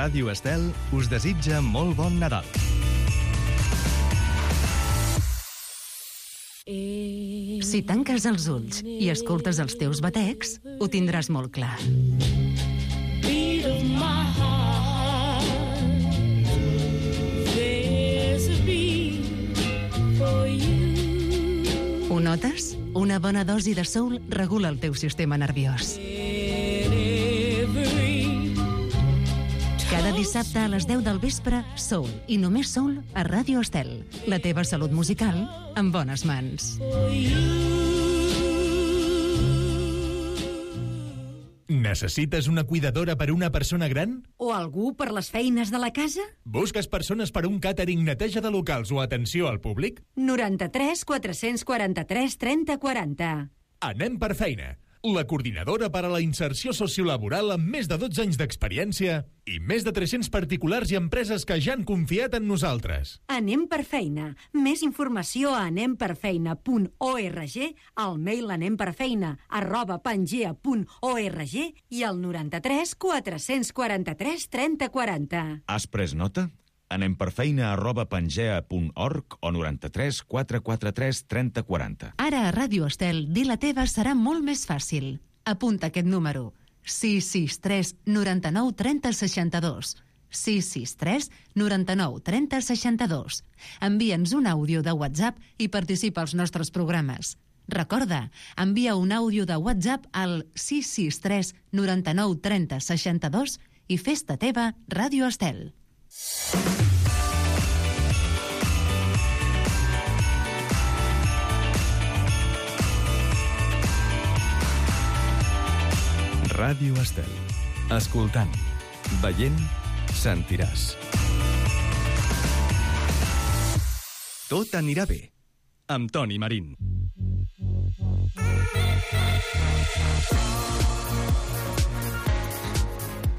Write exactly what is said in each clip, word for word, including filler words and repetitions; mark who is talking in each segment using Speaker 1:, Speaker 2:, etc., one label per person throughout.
Speaker 1: Ràdio Estel us desitja molt bon Nadal.
Speaker 2: Si tanques els ulls i escoltes els teus batecs, ho tindràs molt clar. Ho notes? Una bona dosi de soul regula el teu sistema nerviós. Cada dissabte a les deu del vespre, soul i només soul a Ràdio Estel. La teva salut musical en bones mans.
Speaker 3: Necessites una cuidadora per una persona gran?
Speaker 2: O algú per les feines de la casa?
Speaker 3: Busques persones per un càtering, neteja de locals o atenció al públic?
Speaker 2: noranta-tres quatre-cents quaranta-tres trenta quaranta.
Speaker 3: Anem per feina. La coordinadora per a la inserció sociolaboral amb més de dotze anys d'experiència i més de tres-cents particulars i empreses que ja han confiat en nosaltres.
Speaker 2: Anem per feina. Més informació a anem per feina punt org, al mail anemperfeina arroba pangea punt org i al noranta-tres quatre-cents quaranta-tres trenta quaranta.
Speaker 4: Has pres nota? Anem per feina arroba pangea punt org o noranta-tres quatre quaranta-tres trenta quaranta.
Speaker 2: Ara a Ràdio Estel, dir la teva serà molt més fàcil. Apunta aquest número. sis sis tres noranta-nou trenta seixanta-dos. sis sis tres noranta-nou trenta seixanta-dos. Envia'ns un àudio de WhatsApp i participa als nostres programes. Recorda, envia un àudio de WhatsApp al sis sis tres noranta-nou trenta seixanta-dos i fes-te teva Ràdio Estel.
Speaker 1: Ràdio Estel. Escoltant, veient, sentiràs. Tot anirà bé. Amb Toni Marín.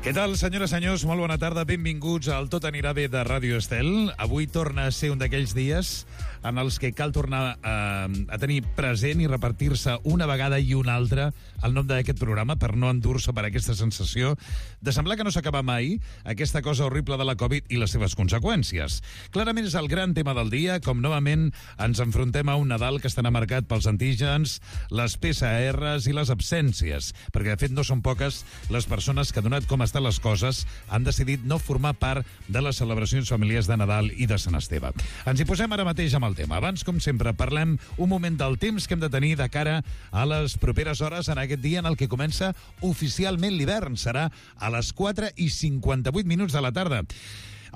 Speaker 5: Què tal, senyores i senyors? Molt bona tarda, benvinguts al Tot anirà bé de Ràdio Estel. Avui torna a ser un d'aquells dies en els que cal tornar a, a tenir present i repartir-se una vegada i una altra el nom d'aquest programa per no endur-se per aquesta sensació de semblar que no s'acaba mai aquesta cosa horrible de la Covid i les seves conseqüències. Clarament és el gran tema del dia, com novament ens enfrontem a un Nadal que estarà marcat pels antígens, les P C Rs i les absències, perquè de fet no són poques les persones que, donat com estan les coses, han decidit no formar part de les celebracions familiars de Nadal i de Sant Esteve. Ens hi posem ara mateix amb el tema. Abans, com sempre, parlem un moment del temps que hem de tenir de cara a les properes hores en aquest dia en el que comença oficialment l'hivern. Serà a les quatre i cinquanta-vuit minuts de la tarda.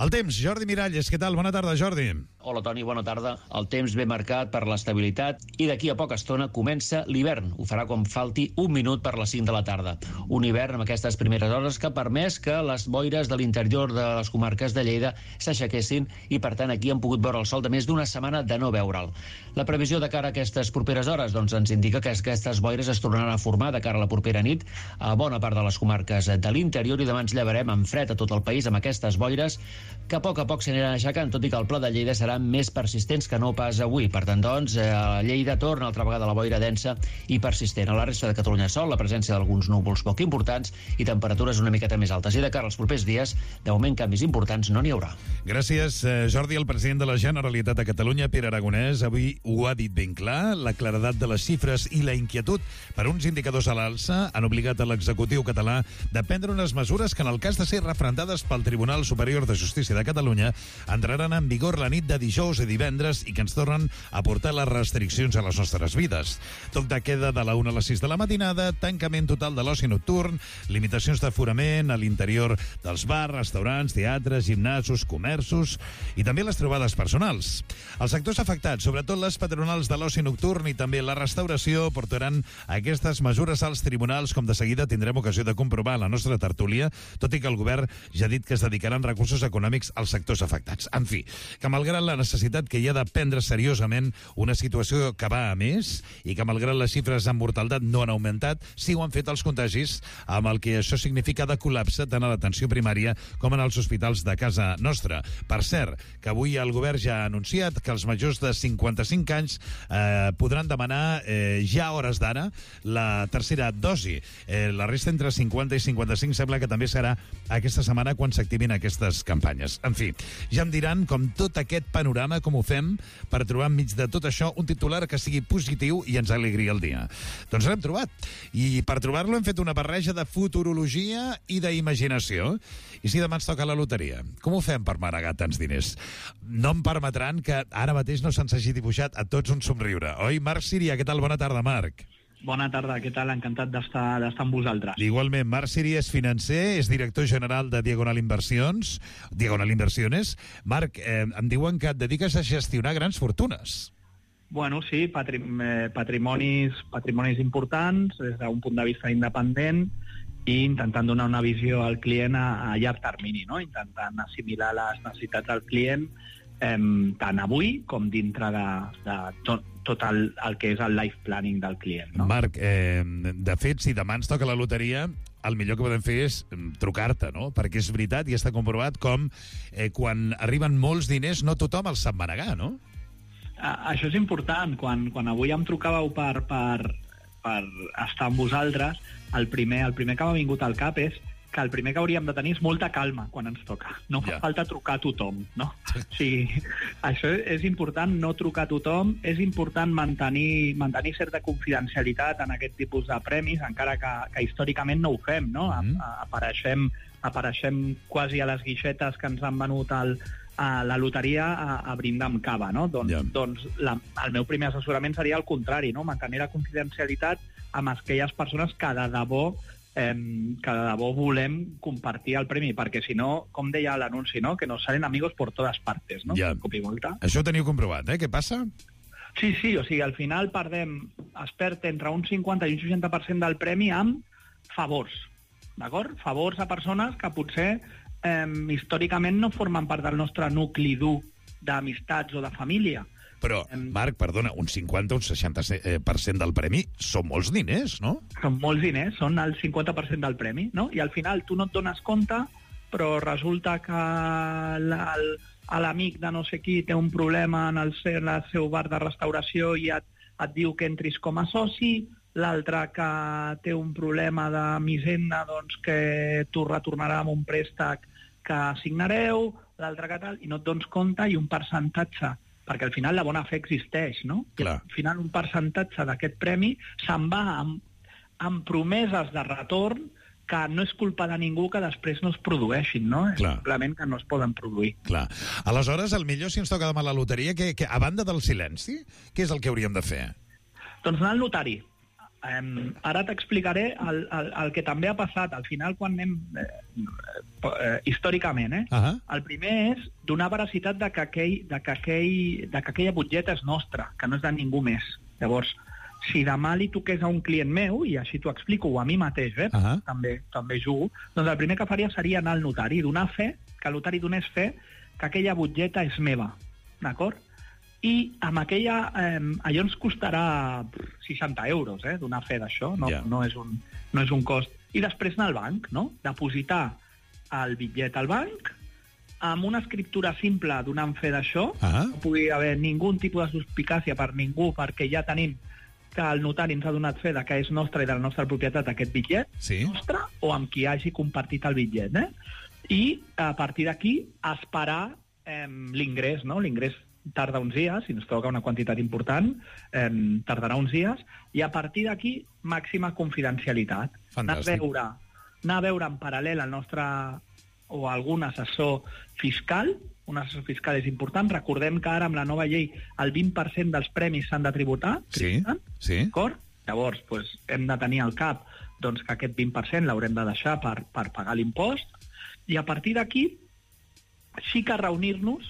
Speaker 5: El temps, Jordi Miralles. Què tal? Bona tarda, Jordi.
Speaker 6: Hola, Toni, bona tarda. El temps ben marcat per l'estabilitat i d'aquí a poca estona comença l'hivern. Ho farà quan falti un minut per les cinc de la tarda. Un hivern amb aquestes primeres hores que ha permès que les boires de l'interior de les comarques de Lleida s'aixequessin i, per tant, aquí han pogut veure el sol de més d'una setmana de no veure'l. La previsió de cara a aquestes properes hores doncs, ens indica que aquestes boires es tornaran a formar de cara a la propera nit a bona part de les comarques de l'interior i demà ens llevarem amb fred a tot el país amb aquestes boires que a poc a poc s'aniran aixecant, tot i que el pla de Lleida seran més persistents que no pas avui. Per tant, doncs, a Lleida torna altra vegada la boira densa i persistent. A la resta de Catalunya sol, la presència d'alguns núvols poc importants i temperatures una miqueta més altes. I de cara als propers dies, de moment canvis importants no n'hi haurà.
Speaker 5: Gràcies, Jordi. El president de la Generalitat de Catalunya, Pere Aragonès, avui ho ha dit ben clar. La claredat de les xifres i la inquietud per uns indicadors a l'alça han obligat a l'executiu català de prendre unes mesures que, en el cas de ser referendades pel Tribunal Superior de Justícia de Catalunya, entraran en vigor la nit de dijous i divendres i que ens tornen a portar les restriccions a les nostres vides. Toc de queda de la una a les sis de la matinada, tancament total de l'oci nocturn, limitacions d'aforament a l'interior dels bars, restaurants, teatres, gimnasos, comerços i també les trobades personals. Els sectors afectats, sobretot les patronals de l'oci nocturn i també la restauració, portaran aquestes mesures als tribunals, com de seguida tindrem ocasió de comprovar a la nostra tertúlia, tot i que el govern ja ha dit que es dedicaran recursos econòmics als sectors afectats. En fi, que malgrat la necessitat que hi ha de prendre seriosament una situació que va a més i que, malgrat les xifres en mortalitat no han augmentat, sí ho han fet els contagis, amb el que això significa de col·lapse tant a l'atenció primària com en els hospitals de casa nostra. Per cert, que avui el govern ja ha anunciat que els majors de cinquanta-cinc anys eh, podran demanar eh, ja a hores d'ara la tercera dosi. Eh, la resta entre cinquanta i cinquanta-cinc sembla que també serà aquesta setmana quan s'activin aquestes campanyes. En fi, ja em diran com tot aquest panorama, com ho fem per trobar enmig de tot això un titular que sigui positiu i ens alegri el dia. Doncs l'hem trobat. I per trobar-lo hem fet una barreja de futurologia i d'imaginació. I si demà ens toca la loteria, com ho fem per manegar tants diners? No em permetran que ara mateix no se'ns hagi dibuixat a tots un somriure. Oi, Marc Siria? Què tal? Bona tarda, Marc.
Speaker 7: Bona tarda, què tal? Encantat d'estar d'estar amb vosaltres.
Speaker 5: Igualment, Marc Siria és financer, és director general de Diagonal Inversions, Diagonal Inversiones. Marc, eh, em diuen que et dediques a gestionar grans fortunes.
Speaker 7: Bueno, sí, patrim eh, patrimonis, patrimonis importants des d'un punt de vista independent i intentant donar una visió al client a, a llarg termini, no? Intentant assimilar les necessitats del client eh, tant avui com dintre de, de tot, tot el, el que és el life planning del client, no?
Speaker 5: Marc, eh, de fet, si demà ens toca la loteria, el millor que podem fer és trucar-te, no? Perquè és veritat i està comprovat com eh, quan arriben molts diners no tothom els sap manegar, no?
Speaker 7: A, això és important. Quan, quan avui em trucàveu per, per, per estar amb vosaltres, el primer, el primer que m'ha vingut al cap és que el primer que hauríem de tenir és molta calma quan ens toca. No fa ja. falta trucar a tothom, no? O sigui, això és important, no trucar a tothom, és important mantenir, mantenir certa confidencialitat en aquest tipus de premis, encara que, que històricament no ho fem, no? Mm. A, a, apareixem, apareixem quasi a les guixetes que ens han venut el, a la loteria a, a brindar amb cava, no? Doncs, yeah. doncs la, el meu primer assessorament seria el contrari, no? Mantenir la confidencialitat amb aquelles persones que de debò Eh, que de debò volem compartir el premi, perquè si no, com deia l'anunci, no? Que nos salen amigos por todas partes, no?
Speaker 5: Ja.
Speaker 7: Cop i volta.
Speaker 5: Això ho teniu comprovat, eh? Què passa?
Speaker 7: Sí, sí, o sigui, al final perdem, es perd entre un cinquanta i un seixanta per cent del premi amb favors, d'acord? Favors a persones que potser eh, històricament no formen part del nostre nucli dur d'amistats o de família.
Speaker 5: Però, Marc, perdona, un cinquanta o un seixanta per cent del premi són molts diners, no?
Speaker 7: Són molts diners, són el cinquanta per cent del premi, no? I al final tu no et dones compte, però resulta que l'amic de no sé qui té un problema en el seu, en el seu bar de restauració i et, et diu que entris com a soci, l'altre que té un problema de misenda, doncs que tu retornarà amb un préstec que signareu, l'altre que tal, i no et dones compte, i un percentatge, perquè al final la bona fe existeix, no?
Speaker 5: Clar.
Speaker 7: Al final un percentatge d'aquest premi se'n va amb, amb promeses de retorn que no és culpa de ningú que després no es produeixin, no?
Speaker 5: Clar.
Speaker 7: És simplement que no es poden produir.
Speaker 5: Clar. Aleshores, el millor, si ens toca demà la loteria, que, que, a banda del silenci, què és el que hauríem de fer?
Speaker 7: Doncs anar al notari. Um, ara t'explicaré el, el, el que també ha passat al final quan anem eh, eh, històricament, eh? Uh-huh. El primer és donar veracitat de que, aquell, de, que aquell, de que aquella butlleta és nostra, que no és de ningú més. Llavors, si demà li toqués a un client meu, i així t'ho explico, o a mi mateix, eh? Uh-huh. també, també jugo, doncs el primer que faria seria anar al notari, donar fe, que el notari donés fe que aquella butlleta és meva, d'acord? I amb aquella, eh, allò ens costarà seixanta euros, eh, donar fe d'això, no, yeah. no, és un, no és un cost. I després anar al banc, no? Depositar el bitllet al banc, amb una escriptura simple donant fe d'això, uh-huh. no pugui haver ningú tipus de suspicàcia per ningú, perquè ja tenim que el notari ens ha donat fe de que és nostre i de la nostra propietat aquest bitllet,
Speaker 5: sí.
Speaker 7: nostre, o amb qui hagi compartit el bitllet, eh? I a partir d'aquí esperar eh, l'ingrés, no? L'ingrés tarda uns dies, si ens toca una quantitat important, eh, tardarà uns dies, i a partir d'aquí, màxima confidencialitat. Anar a, veure, anar a veure en paral·lel el nostre, o algun assessor fiscal, un assessor fiscal és important, recordem que ara amb la nova llei el vint per cent dels premis s'han de tributar,
Speaker 5: sí, sí.
Speaker 7: D'acord? Llavors, doncs, hem de tenir al cap doncs, que aquest vint per cent l'haurem de deixar per, per pagar l'impost, i a partir d'aquí sí que reunir-nos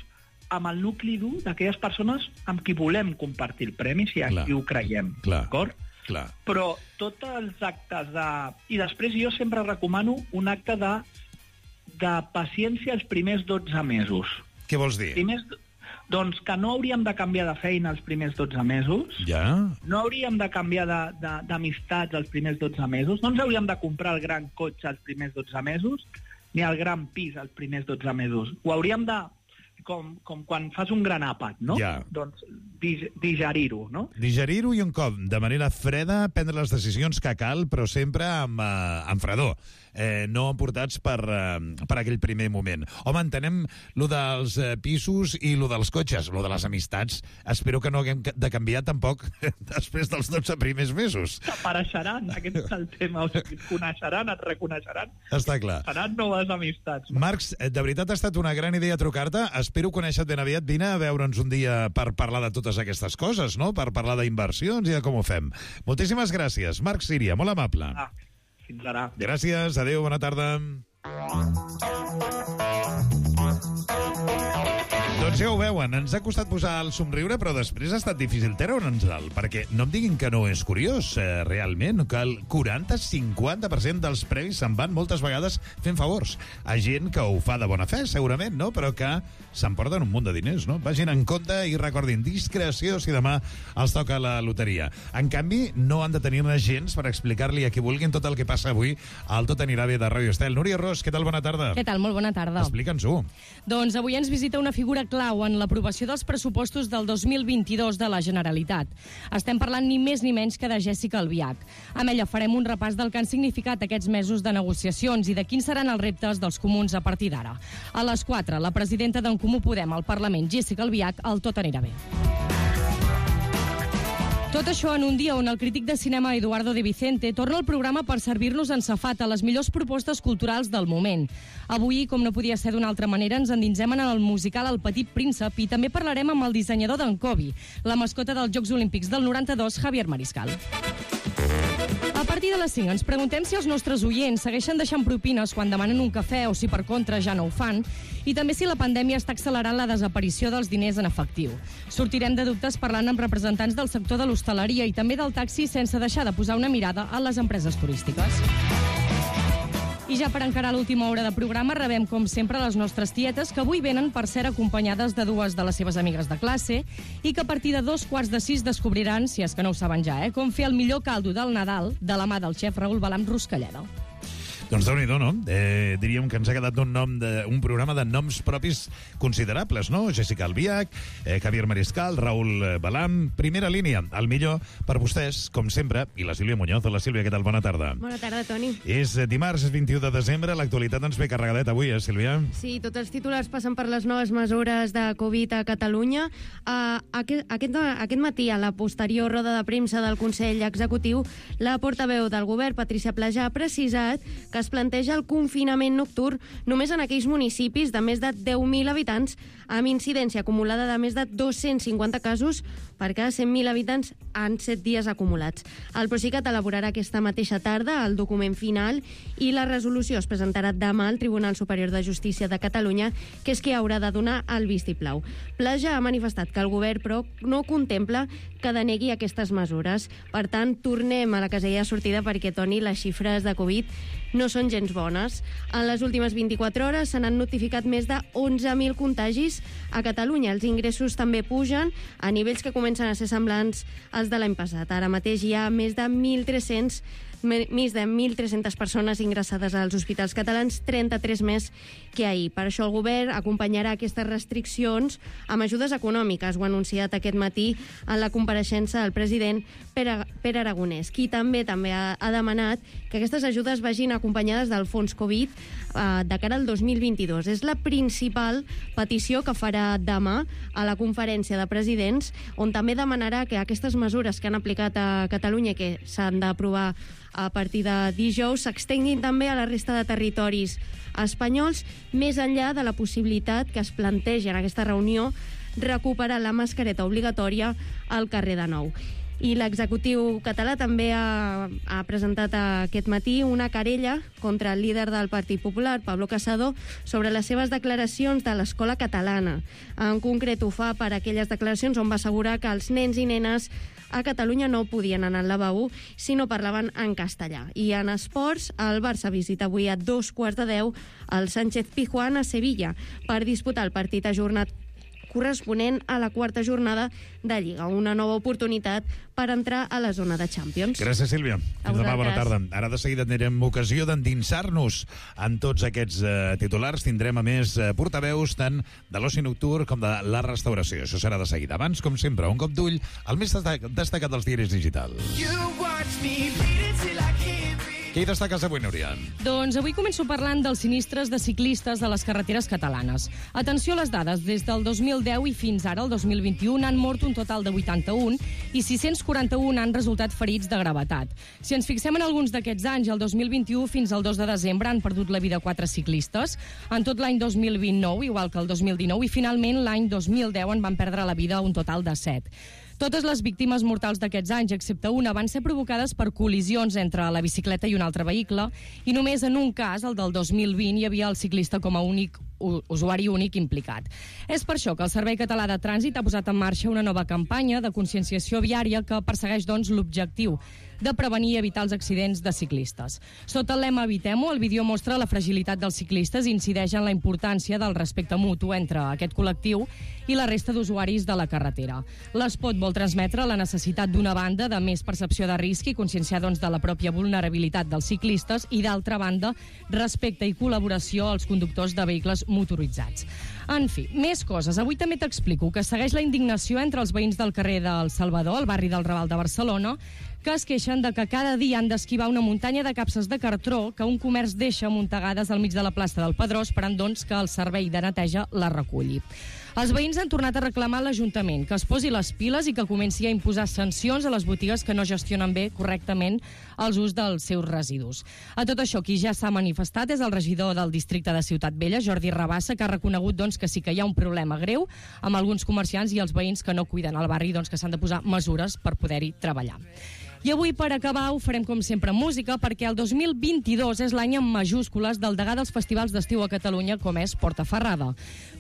Speaker 7: amb el nucli dur d'aquelles persones amb qui volem compartir el premi, si aquí ho creiem, d'acord? Però tots els actes de... I després jo sempre recomano un acte de, de paciència els primers dotze mesos.
Speaker 5: Què vols dir?
Speaker 7: Primers... Doncs que no hauríem de canviar de feina els primers dotze mesos,
Speaker 5: ja.
Speaker 7: no hauríem de canviar d'amistats els primers dotze mesos, no ens hauríem de comprar el gran cotxe els primers dotze mesos, ni el gran pis els primers dotze mesos. Ho hauríem de, com, com quan fas un gran àpat, no?
Speaker 5: Ja.
Speaker 7: Doncs digerir-ho, no?
Speaker 5: Digerir-ho i un cop, de manera freda, prendre les decisions que cal, però sempre amb, uh, amb fredor. Eh, no emportats per, uh, per aquell primer moment. Home, entenem lo dels uh, pisos i lo dels cotxes, lo de les amistats. Espero que no haguem de canviar tampoc després dels dotze primers mesos.
Speaker 7: T'apareixeran, aquest és el tema. O sigui, et coneixeran, et reconeixeran.
Speaker 5: Està clar.
Speaker 7: Seran noves amistats.
Speaker 5: Marcs, de veritat ha estat una gran idea trucar-te. Espero conèixer-te ben aviat. Vine a veure'ns un dia per parlar de totes aquestes coses, no? Per parlar d'inversions i de com ho fem. Moltíssimes gràcies. Marc Síria, molt amable.
Speaker 7: Ah. Fins ara.
Speaker 5: Gràcies, adéu, bona tarda. Doncs ja ho veuen, ens ha costat posar el somriure, però després ha estat difícil treure'ns-el, perquè no em diguin que no és curiós, eh, realment, que el quaranta a cinquanta per cent dels premis se'n van moltes vegades fent favors a gent que ho fa de bona fe, segurament, no? Però que s'emporten un munt de diners, no? Vagin en compte i recordin, discreció si demà els toca la loteria. En canvi, no han de tenir-ne gens per explicar-li a qui vulguin tot el que passa avui al Tot anirà bé de Ràdio Estel. Núria Ros, què tal? Bona tarda.
Speaker 8: Què tal? Molt bona tarda.
Speaker 5: Explica'ns-ho.
Speaker 8: Doncs avui ens visita una figura clau en l'aprovació dels pressupostos del dos mil vint-i-dos de la Generalitat. Estem parlant ni més ni menys que de Jèssica Albiach. Amb ella farem un repàs del que han significat aquests mesos de negociacions i de quins seran els reptes dels comuns a partir d'ara. A les quatre, la presidenta d'en Comú Podem al Parlament, Jèssica Albiach, al Tot anirà bé. Tot això en un dia on el crític de cinema Eduardo de Vicente torna al programa per servir-nos en safata les millors propostes culturals del moment. Avui, com no podia ser d'una altra manera, ens endinsem en el musical El Petit Príncep i també parlarem amb el dissenyador d'en Kobe, la mascota dels Jocs Olímpics del noranta-dos, Javier Mariscal. A partir de les cinc ens preguntem si els nostres oients segueixen deixant propines quan demanen un cafè o si per contra ja no ho fan, i també si la pandèmia està accelerant la desaparició dels diners en efectiu. Sortirem de dubtes parlant amb representants del sector de l'hostaleria i també del taxi sense deixar de posar una mirada a les empreses turístiques. I ja per encarar l'última hora de programa rebem, com sempre, les nostres tietes, que avui venen per ser acompanyades de dues de les seves amigues de classe i que a partir de dos quarts de sis descobriran, si és que no ho saben ja, eh, com fer el millor caldo del Nadal de la mà del xef Raül Balam Ruscalleda.
Speaker 5: Doncs déu-n'hi-do, no? Eh, diríem que ens ha quedat un, nom de, un programa de noms propis considerables, no? Jèssica Albiach, eh, Javier Mariscal, Raül Balam, primera línia, el millor per vostès, com sempre, i la Sílvia Muñoz. La Sílvia, què tal? Bona tarda.
Speaker 9: Bona tarda, Toni.
Speaker 5: És dimarts, és vint-i-u de desembre, l'actualitat ens ve carregadeta avui, eh, Sílvia?
Speaker 9: Sí, tots els titulars passen per les noves mesures de Covid a Catalunya. Uh, aquest, aquest, aquest matí, a la posterior roda de premsa del Consell Executiu, la portaveu del govern, Patricia Plaja, ha precisat que es planteja el confinament nocturn només en aquells municipis de més de deu mil habitants amb incidència acumulada de més de dos-cents cinquanta casos per cada cent mil habitants en set dies acumulats. El Procicat elaborarà aquesta mateixa tarda el document final i la resolució es presentarà demà al Tribunal Superior de Justícia de Catalunya, que és qui haurà de donar el vistiplau. Plaja ha manifestat que el govern, però, no contempla que denegui aquestes mesures. Per tant, tornem a la casella de sortida perquè, Toni, les xifres de Covid no són gens bones. En les últimes vint-i-quatre hores se n'han notificat més de onze mil contagis a Catalunya. Els ingressos també pugen a nivells que comencen a ser semblants als de l'any passat. Ara mateix hi ha més de mil tres-cents més de mil tres-centes persones ingressades als hospitals catalans, trenta-tres més que ahir. Per això el govern acompanyarà aquestes restriccions amb ajudes econòmiques. Ho ha anunciat aquest matí en la compareixença del president Pere, Pere Aragonès, qui també també ha, ha demanat que aquestes ajudes vagin acompanyades del fons Covid eh, de cara al dos mil vint-i-dos. És la principal petició que farà demà a la conferència de presidents, on també demanarà que aquestes mesures que han aplicat a Catalunya, que s'han d'aprovar a partir de dijous, s'extenguin també a la resta de territoris espanyols, més enllà de la possibilitat que es planteja en aquesta reunió recuperar la mascareta obligatòria al carrer de Nou. I l'executiu català també ha, ha presentat aquest matí una querella contra el líder del Partit Popular, Pablo Casado, sobre les seves declaracions de l'escola catalana. En concret, ho fa per aquelles declaracions on va assegurar que els nens i nenes a Catalunya no podien anar al lavabo si no parlaven en castellà. I en esports, el Barça visita avui a dos quarts de deu el Sánchez Pizjuán a Sevilla per disputar el partit ajornat corresponent a la quarta jornada de Lliga. Una nova oportunitat per entrar a la zona de Champions.
Speaker 5: Gràcies, Sílvia. Fins demà, bona tarda. Ara de seguida tindrem ocasió d'endinsar-nos en tots aquests eh, titulars. Tindrem, a més, eh, portaveus tant de l'oci nocturn com de la restauració. Això serà de seguida. Abans, com sempre, un cop d'ull al més destacat dels diaris digitals. Què hi destaques avui, Núria?
Speaker 8: Doncs avui començo parlant dels sinistres de ciclistes de les carreteres catalanes. Atenció a les dades. Des del dos mil deu i fins ara, el dos mil vint-i-u, han mort un total de vuitanta-un i sis-cents quaranta-un han resultat ferits de gravetat. Si ens fixem en alguns d'aquests anys, el dos mil vint-i-u fins al dos de desembre han perdut la vida quatre ciclistes. En tot l'any dos mil vint-i-nou, igual que el dos mil dinou, i finalment l'any dos mil deu en van perdre la vida un total de set. Totes les víctimes mortals d'aquests anys, excepte una, van ser provocades per col·lisions entre la bicicleta i un altre vehicle, i només en un cas, el del dos mil vint, hi havia el ciclista com a únic usuari únic implicat. És per això que el Servei Català de Trànsit ha posat en marxa una nova campanya de conscienciació viària que persegueix, doncs, l'objectiu de prevenir i evitar els accidents de ciclistes. Sota el lema Evitem-ho, el vídeo mostra la fragilitat dels ciclistes i incideix en la importància del respecte mutu entre aquest col·lectiu i la resta d'usuaris de la carretera. L'espot vol transmetre la necessitat d'una banda de més percepció de risc i conscienciar, doncs, de la pròpia vulnerabilitat dels ciclistes i, d'altra banda, respecte i col·laboració als conductors de vehicles motoritzats. En fi, més coses. Avui també t'explico que segueix la indignació entre els veïns del carrer del Salvador, al barri del Raval de Barcelona, que es queixen de que cada dia han d'esquivar una muntanya de capses de cartró que un comerç deixa amuntegades al mig de la plaça del Pedrós, esperant, doncs, que el servei de neteja la reculli. Els veïns han tornat a reclamar a l'Ajuntament que es posi les piles i que comenci a imposar sancions a les botigues que no gestionen bé correctament els ús dels seus residus. A tot això, qui ja s'ha manifestat és el regidor del districte de Ciutat Vella, Jordi Rabassa, que ha reconegut, doncs, que sí que hi ha un problema greu amb alguns comerciants i els veïns que no cuiden el barri, doncs, que s'han de posar mesures per poder-hi treballar. I avui, per acabar, ho farem com sempre música, perquè el dos mil vint-i-dos és l'any en majúscules del degà dels festivals d'estiu a Catalunya, com és Portaferrada.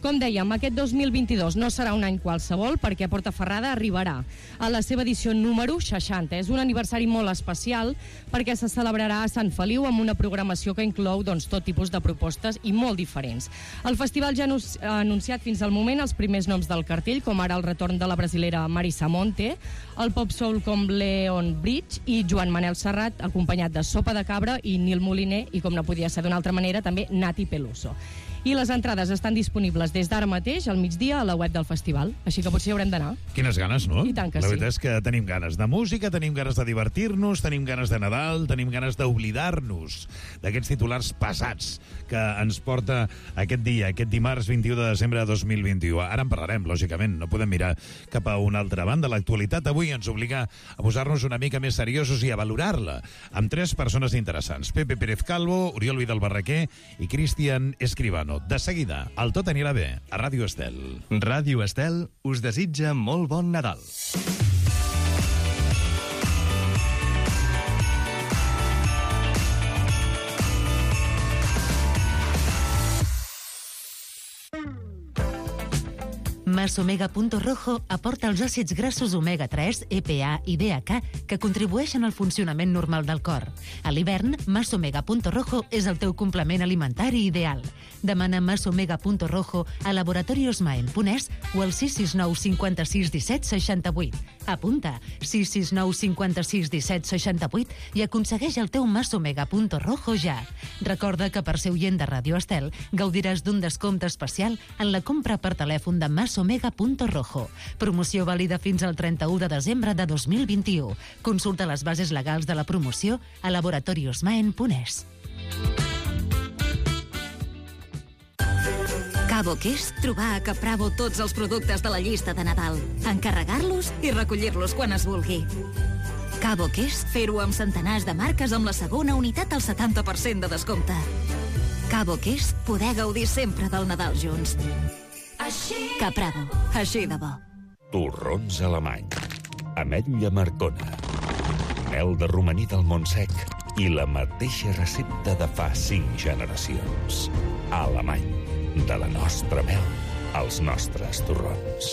Speaker 8: Com dèiem, aquest dos mil vint-i-dos no serà un any qualsevol, perquè Portaferrada arribarà a la seva edició número seixanta. És un aniversari molt especial, perquè se celebrarà a Sant Feliu amb una programació que inclou, doncs, tot tipus de propostes i molt diferents. El festival ja ha anunciat fins al moment els primers noms del cartell, com ara el retorn de la brasilera Marisa Monte, el pop soul com Leon Bridge i Joan Manel Serrat, acompanyat de Sopa de Cabra i Nil Moliner, i com no podia ser d'una altra manera, també Nati Peluso. I les entrades estan disponibles des d'ara mateix, al migdia, a la web del festival. Així que potser hi haurem d'anar.
Speaker 5: Quines ganes, no?
Speaker 8: I tant que
Speaker 5: sí. La
Speaker 8: sí.
Speaker 5: veritat és que tenim ganes de música, tenim ganes de divertir-nos, tenim ganes de Nadal, tenim ganes d'oblidar-nos d'aquests titulars pesats que ens porta aquest dia, aquest dimarts vint-i-u de desembre de dos mil vint-i-u. Ara en parlarem, lògicament, no podem mirar cap a una altra banda. L'actualitat avui ens obliga a posar-nos una mica més seriosos i a valorar-la amb tres persones interessants. Pepe Pérez Calvo, Oriol Vidal Barraquer i Cristian Escribano. De seguida, el Tot anirà bé, a Ràdio Estel.
Speaker 1: Ràdio Estel us desitja molt bon Nadal.
Speaker 2: Masomega Punto Rojo aporta els àcids grassos omega tres, E P A i D H A que contribueixen al funcionament normal del cor. A l'hivern, Masomega Punto Rojo és el teu complement alimentari ideal. Demana Masomega Punto Rojo a Laboratorios Maen Punès o al sis sis nou cinc sis un set sis vuit. Apunta sis sis nou cinc sis un set sis vuit i aconsegueix el teu Masomega Punto Rojo ja. Recorda que per ser oient de Ràdio Estel gaudiràs d'un descompte especial en la compra per telèfon de Masomega Punto Rojo. Promoció vàlida fins al trenta-u de desembre de dos mil vint-i-u. Consulta les bases legals de la promoció a Laboratorios Maen Punès.
Speaker 10: Cabo que és trobar a Capravo tots els productes de la llista de Nadal, encarregar-los i recollir-los quan es vulgui. Cabo que és fer-ho amb centenars de marques amb la segona unitat al setanta per cent de descompte. Cabo que és poder gaudir sempre del Nadal junts. Capravo, així de bo.
Speaker 11: Torrons alemany, ametlla marcona, mel de romaní del Montsec i la mateixa recepta de fa cinc generacions. Alemany, de la nostra mel als nostres torrons.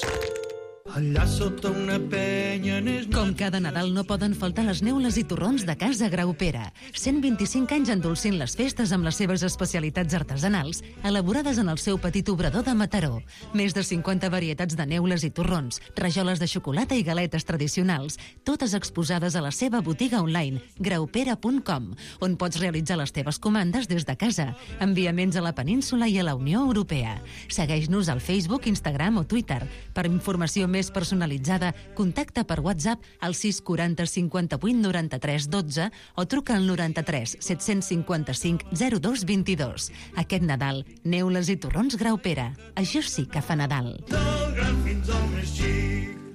Speaker 12: allà sota una penya...
Speaker 2: Com cada Nadal no poden faltar les neules i torrons de Casa Graupera. cent vint-i-cinc anys endolcint les festes amb les seves especialitats artesanals, elaborades en el seu petit obrador de Mataró. Més de cinquanta varietats de neules i torrons, rajoles de xocolata i galetes tradicionals, totes exposades a la seva botiga online, graupera punt com, on pots realitzar les teves comandes des de casa. Enviaments a la península i a la Unió Europea. Segueix-nos al Facebook, Instagram o Twitter. Per informació més personalitzada, contacta per WhatsApp al sis quaranta cinquanta-vuit noranta-tres dotze o truca al noranta-tres set-cents cinquanta-cinc zero dos vint-i-dos. Aquest Nadal, neules i torrons Graupera. Això sí que fa Nadal.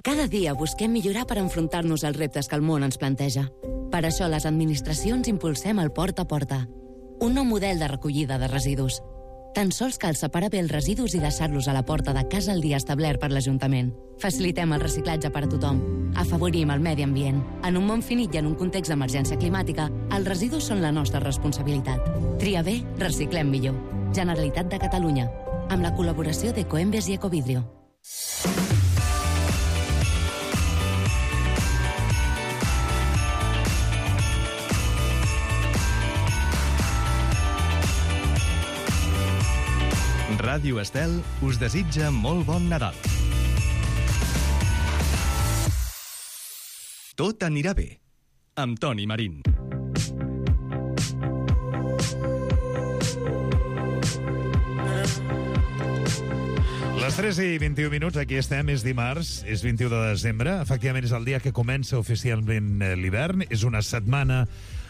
Speaker 13: Cada dia busquem millorar per enfrontar-nos als reptes que el món ens planteja. Per això les administracions impulsem el Porta a Porta, un nou model de recollida de residus. Tan sols cal separar bé els residus i deixar-los a la porta de casa el dia establert per l'Ajuntament. Facilitem el reciclatge per a tothom. Afavorim el medi ambient. En un món finit i en un context d'emergència climàtica, els residus són la nostra responsabilitat. Tria bé, reciclem millor. Generalitat de Catalunya. Amb la col·laboració d'Ecoembes i Ecovidrio.
Speaker 1: Ràdio Estel us desitja molt bon Nadal. Tot anirà bé, amb Toni Marín.
Speaker 5: Les tres i vint-i-u minuts, aquí estem, és dimarts, és vint-i-u de desembre, efectivament és el dia que comença oficialment l'hivern, és una setmana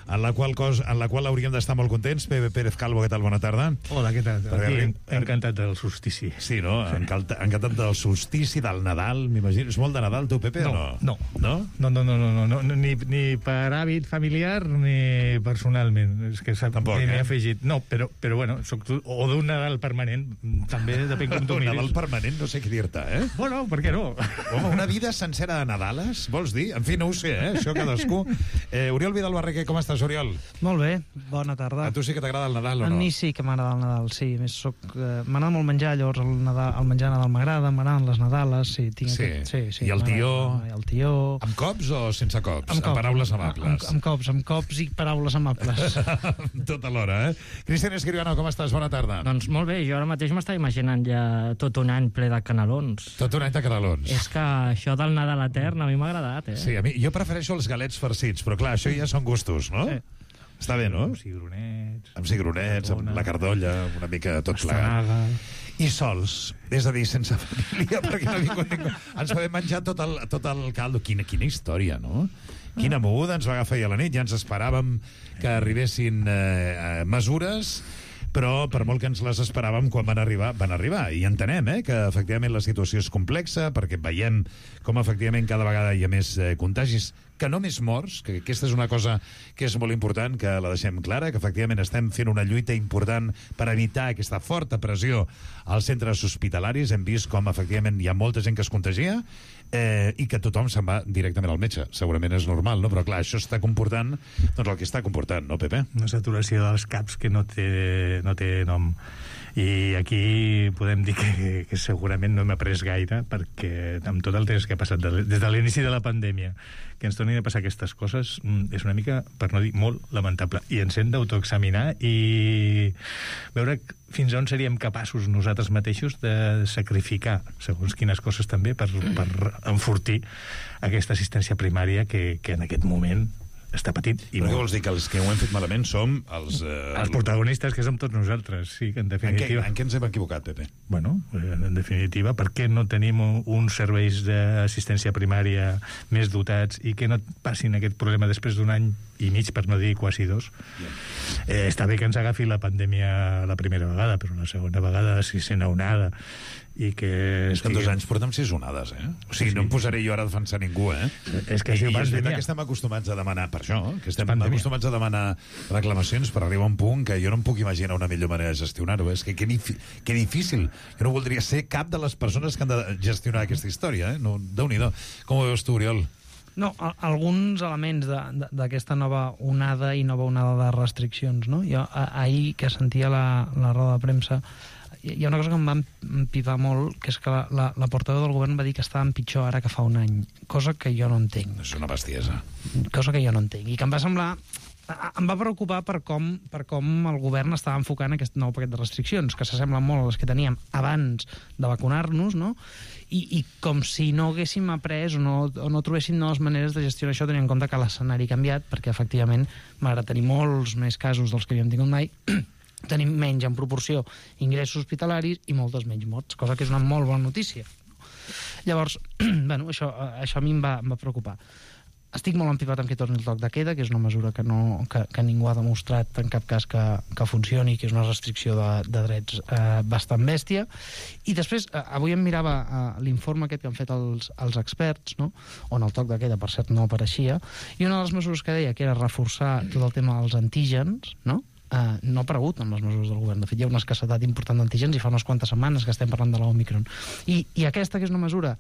Speaker 5: en la qual cos, en la qual hauríem d'estar molt contents. Pepe Pérez Calvo, què tal? Bona tarda.
Speaker 14: Hola, què tal?
Speaker 5: Perquè
Speaker 14: Aquí,
Speaker 5: arri...
Speaker 14: encantat del solstici.
Speaker 5: Sí, no? Sí. Encantat, encantat del solstici, del Nadal, m'imagino. És molt de Nadal, tu, Pepe,
Speaker 14: no,
Speaker 5: o no?
Speaker 14: No, no. No, no, no, no, no, no ni, ni per hàbit familiar ni personalment. És que
Speaker 5: Tampoc,
Speaker 14: ni m'he
Speaker 5: eh?
Speaker 14: afegit. No, però, però bueno, soc tu, o d'un Nadal permanent, també depèn com tu
Speaker 5: Un
Speaker 14: miris.
Speaker 5: Nadal permanent, no sé què dir-te, eh?
Speaker 14: Bueno, per què no?
Speaker 5: Home, una vida sencera de Nadales, vols dir? En fi, no ho sé, eh? Això cadascú. Eh, Oriol Vidal Barrequer, com estàs, Oriol?
Speaker 15: Molt bé, bona tarda.
Speaker 5: A tu sí que t'agrada el Nadal o no?
Speaker 15: A mi sí que m'agrada el Nadal, sí. Més soc, eh, m'agrada molt menjar, llavors el, Nadal, el menjar Nadal m'agrada, m'agraden les Nadales, sí. Tinc
Speaker 5: Sí.
Speaker 15: Aquest, sí, sí.
Speaker 5: I el tió?
Speaker 15: I el tió...
Speaker 5: Amb cops o sense cops?
Speaker 15: Amb,
Speaker 5: Amb,
Speaker 15: cops,
Speaker 5: paraules
Speaker 15: amb,
Speaker 5: amables?
Speaker 15: amb, amb cops, amb cops i paraules amables.
Speaker 5: Tot alhora, eh? Cristian Escribano, com estàs? Bona tarda.
Speaker 16: Doncs molt bé, jo ara mateix m'estava imaginant ja tot un any ple de canelons.
Speaker 5: Tot un any de canelons.
Speaker 16: És que això del Nadal etern a mi m'ha agradat, eh?
Speaker 5: Sí, a mi, jo prefereixo els galets farcits, però clar, això ja són gustos, no?
Speaker 14: Sí.
Speaker 5: Està bé, no?
Speaker 14: Amb cigronets.
Speaker 5: Amb cigronets, amb la cardolla, una mica tot
Speaker 14: Pastanaga.
Speaker 5: plegat. I sols, és a dir, sense família, perquè no vingut ningú. Ens podem menjar tot el, tot el caldo. Quina, quina història, no? Quina moguda ens va agafar ahir a la nit. Ja ens esperàvem que arribessin eh, mesures, però per molt que ens les esperàvem, quan van arribar, van arribar. I entenem eh, que efectivament la situació és complexa, perquè veiem com efectivament cada vegada hi ha més eh, contagis, que no més morts, que aquesta és una cosa que és molt important, que la deixem clara, que efectivament estem fent una lluita important per evitar aquesta forta pressió als centres hospitalaris. Hem vist com efectivament hi ha molta gent que es contagia eh, i que tothom se'n va directament al metge. Segurament és normal, no? Però clar, això està comportant doncs el que està comportant, no, Pepe?
Speaker 14: Una saturació dels caps que no té, no té nom. I aquí podem dir que, que segurament no hem après gaire, perquè amb tot el temps que ha passat de, des de l'inici de la pandèmia, que ens tornin a passar aquestes coses, és una mica, per no dir molt, lamentable. I ens hem d'autoexaminar i veure fins on seríem capaços nosaltres mateixos de sacrificar segons quines coses també per, per enfortir aquesta assistència primària que, que en aquest moment està petit. I
Speaker 5: Però què vols dir? Que els que ho hem fet malament som els... Eh,
Speaker 14: els protagonistes, que som tots nosaltres, sí, que en definitiva...
Speaker 5: En què, en què ens hem equivocat, Pepe?
Speaker 14: Bueno, en definitiva, per què no tenim uns serveis d'assistència primària més dotats i que no passin aquest problema després d'un any i mig, per no dir quasi dos? Eh, està bé que ens agafi la pandèmia la primera vegada, però la segona vegada, si sent onada, i que...
Speaker 5: És que en dos anys portem sis onades, eh? O sigui, sí. No em posaré jo ara a defensar ningú, eh?
Speaker 14: És que es diu
Speaker 5: I, i és veritat
Speaker 14: pandèmia.
Speaker 5: que estem acostumats a demanar per això, que estem
Speaker 14: Pandèmia.
Speaker 5: acostumats a demanar reclamacions per arribar a un punt que jo no em puc imaginar una millor manera de gestionar-ho. És que que, difi que difícil. Jo no voldria ser cap de les persones que han de gestionar aquesta història, eh? No, Déu-n'hi-do. Com ho veus tu, Oriol?
Speaker 15: No, a, alguns elements d'aquesta nova onada i nova onada de restriccions, no? Jo a, ahir que sentia la, la roda de premsa hi ha una cosa que em va empipar molt, que és que la, la, la portaveu del govern va dir que estàvem pitjor ara que fa un any, cosa que jo no entenc.
Speaker 5: És una bestiesa.
Speaker 15: Cosa que jo no entenc, i que em va semblar... Em va preocupar per com, per com el govern estava enfocant aquest nou paquet de restriccions, que s'assemblen molt a les que teníem abans de vacunar-nos, no? I, i com si no haguéssim après o no, o no trobéssim noves maneres de gestionar això, tenint en compte que l'escenari ha canviat, perquè efectivament, malgrat tenir molts més casos dels que havíem tingut mai, tenim menys en proporció ingressos hospitalaris i moltes menys morts, cosa que és una molt bona notícia. Llavors, bueno, això, això a mi em va, em va preocupar. Estic molt empipat amb que torni el toc de queda, que és una mesura que, no, que, que ningú ha demostrat en cap cas que, que funcioni, que és una restricció de, de drets eh, bastant bèstia. I després, eh, avui em mirava eh, l'informe aquest que han fet els, els experts, no? On el toc de queda, per cert, no apareixia, i una de les mesures que deia que era reforçar tot el tema dels antígens, no? Uh, no ha aparegut amb les mesures del govern. De fet, hi ha una escassetat important d'antígens i fa unes quantes setmanes que estem parlant de l'Omicron. I, I aquesta, que és una mesura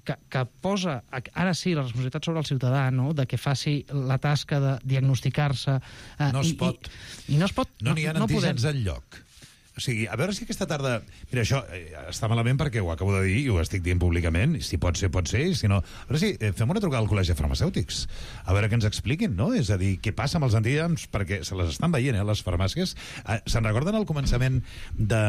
Speaker 15: que, que posa, ara sí, la responsabilitat sobre el ciutadà, no?, de que faci la tasca de diagnosticar-se... Uh,
Speaker 5: no es
Speaker 15: i,
Speaker 5: pot.
Speaker 15: I, i no es pot.
Speaker 5: No n'hi ha
Speaker 15: no,
Speaker 5: antígens
Speaker 15: no
Speaker 5: enlloc. O sigui, a veure si aquesta tarda... Mira, això eh, està malament perquè ho acabo de dir i ho estic dient públicament. Si pot ser, pot ser, i si no... A veure si eh, fem una trucada al Col·legi de Farmacèutics. A veure què ens expliquin, no? És a dir, què passa amb els antígens, perquè se les estan veient, eh, les farmàcies. Eh, se'n recorden al començament de,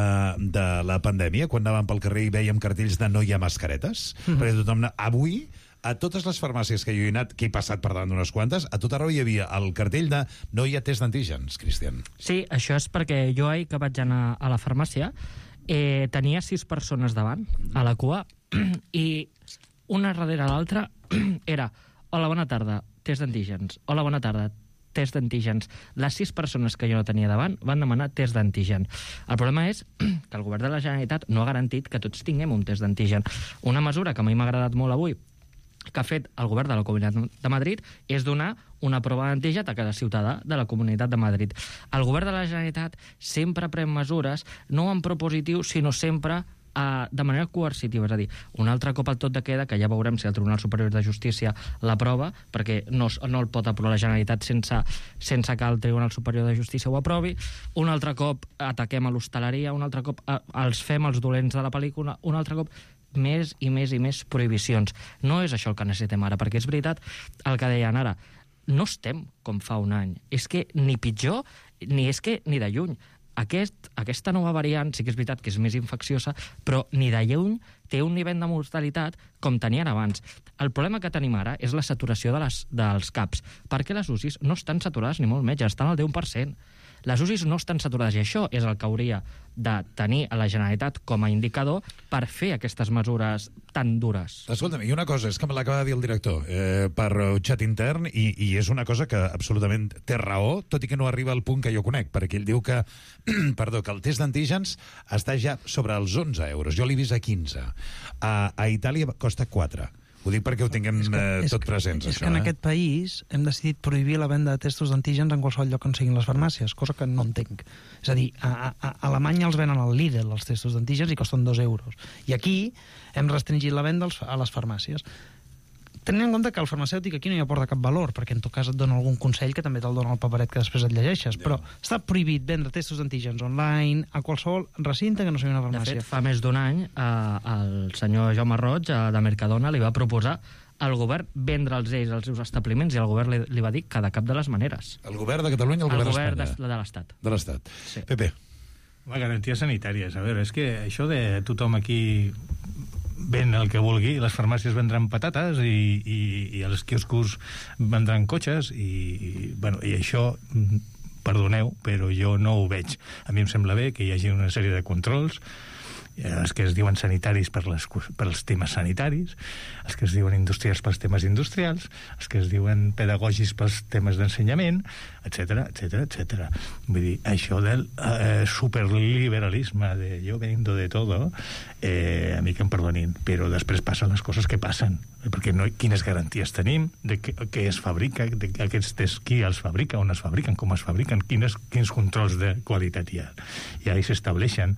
Speaker 5: de la pandèmia, quan anàvem pel carrer i veiem cartells de no hi ha mascaretes? Mm-hmm. Perquè tothom... Avui... A totes les farmàcies que jo he anat, que he passat per davant d'unes quantes, a tot arreu hi havia el cartell de no hi ha test d'antígens, Cristian.
Speaker 16: Sí, això és perquè jo ahir que vaig anar a la farmàcia eh, tenia sis persones davant, a la cua, i una darrere l'altra era hola, bona tarda, test d'antígens, hola, bona tarda, test d'antígens. Les sis persones que jo no tenia davant van demanar test d'antígen. El problema és que el govern de la Generalitat no ha garantit que tots tinguem un test d'antígen. Una mesura que a mi m'ha agradat molt avui, que ha fet el govern de la Comunitat de Madrid, és donar una prova d'antígen a cada ciutadà de la Comunitat de Madrid. El govern de la Generalitat sempre pren mesures, no en propositiu, sinó sempre Uh, de manera coercitiva, és a dir, un altre cop al tot de queda, que ja veurem si el Tribunal Superior de Justícia l'aprova, perquè no, no el pot aprovar la Generalitat sense, sense que el Tribunal Superior de Justícia ho aprovi. Un altre cop ataquem a l'hostaleria, un altre cop uh, els fem els dolents de la pel·lícula, un altre cop més i més i més prohibicions. No és això el que necessitem ara, perquè és veritat el que deien ara, no estem com fa un any. És que ni pitjor, ni és que ni de lluny. Aquest, aquesta nova variant sí que és veritat que és més infecciosa, però ni de lluny té un nivell de mortalitat com tenien abans. El problema que tenim ara és la saturació de les, dels CAPs, perquè les U C Is no estan saturades ni molt menys, estan al deu per cent. Les U C Is no estan saturades i això és el que hauria de tenir a la Generalitat com a indicador per fer aquestes mesures tan dures.
Speaker 5: Escolta'm, i una cosa, és que me l'acaba de dir el director eh, per un xat intern i, i és una cosa que absolutament té raó, tot i que no arriba al punt que jo conec, perquè ell diu que, perdó, que el test d'antígens està ja sobre els onze euros. Jo l'he vist a quinze. A, a Itàlia costa quatre. Ho dic perquè ho tinguem que, eh, tot presents,
Speaker 15: és
Speaker 5: això.
Speaker 15: És que en
Speaker 5: eh?
Speaker 15: aquest país hem decidit prohibir la venda de testos d'antígens en qualsevol lloc on siguin les farmàcies, cosa que no entenc. És a dir, a, a, a Alemanya els venen al Lidl, els testos d'antígens, i costen dos euros. I aquí hem restringit la venda als, a les farmàcies. Tenint en compte que el farmacèutic aquí no hi aporta cap valor, perquè en tot cas et dona algun consell que també te'l dona el paperet que després et llegeixes, però està prohibit vendre testos d'antígens online a qualsevol recinte que no sigui una farmàcia.
Speaker 16: De fet, fa més d'un any eh, el senyor Jaume Roig eh, de Mercadona li va proposar al govern vendre'ls ells als seus establiments i el govern li, li va dir que de cap de les maneres.
Speaker 5: El govern de Catalunya o el,
Speaker 16: el
Speaker 5: govern
Speaker 16: d'Espanya? El
Speaker 5: govern
Speaker 16: govern de l'Estat.
Speaker 5: De l'Estat.
Speaker 16: Sí.
Speaker 5: Pepe.
Speaker 14: La garanties sanitàries. A veure, és que això de tothom aquí ven el que vulgui, les farmàcies vendran patates i, i, i els quioscos vendran cotxes i, i, bueno, i això, perdoneu, però jo no ho veig. A mi em sembla bé que hi hagi una sèrie de controls, els que es diuen sanitaris per, les, per els temes sanitaris, els que es diuen industrials pels temes industrials, els que es diuen pedagògics pels temes d'ensenyament, etcètera, etcètera, etcètera. Vull dir, això del eh, superliberalisme de yo vendo de todo, eh, a mi que em perdonin, però després passen les coses que passen, perquè no, quines garanties tenim de què, què es fabrica, de aquests tests, qui els fabrica, on es fabriquen, com es fabriquen, quines, quins controls de qualitat hi ha. I ahí s'estableixen.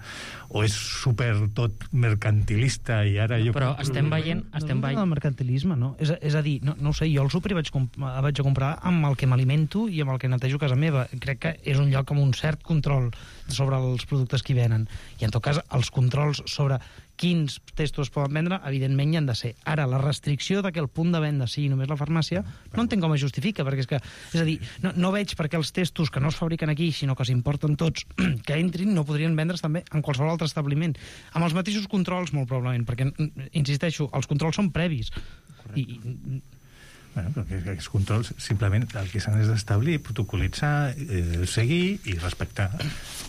Speaker 14: O és super super tot mercantilista i ara jo...
Speaker 16: Però estem veient... Estem
Speaker 15: no,
Speaker 16: veient...
Speaker 15: no, el mercantilisme, no? És, és a dir, no, no ho sé, jo al súper vaig, comp vaig a comprar amb el que m'alimento i amb el que netejo casa meva. Crec que és un lloc amb un cert control sobre els productes que hi venen. I en tot cas, els controls sobre quins testos es poden vendre, evidentment hi han de ser. Ara, la restricció de que el punt de venda sigui només la farmàcia, no entenc com es justifica, perquè és que, és a dir, no, no veig perquè els testos que no es fabriquen aquí, sinó que s'importen tots, que entrin, no podrien vendre's també en qualsevol altre establiment. Amb els mateixos controls, molt probablement, perquè, insisteixo, els controls són previs. I,
Speaker 14: Bueno, perquè aquests controls simplement el que s'han d'establir, protocolitzar, eh, seguir i respectar.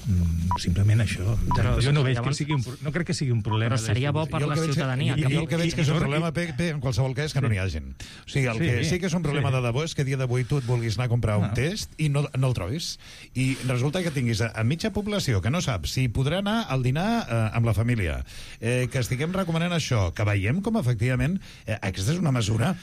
Speaker 14: Mm, simplement això. Però, jo no veig llavors... que sigui un, no crec que sigui un problema.
Speaker 16: Però seria bo per la ciutadania.
Speaker 17: Jo el que veig que és un problema, Pepe, en qualsevol cas, que no n'hi ha gent. O sigui, el que sí que és un problema de debò és que a dia d'avui tu et vulguis anar a comprar un test i no, no el trobis. I resulta que tinguis a, a mitja població que no sap si podrà anar al dinar eh, amb la família, eh, que estiguem recomanant això, que veiem com efectivament eh, aquesta és una mesura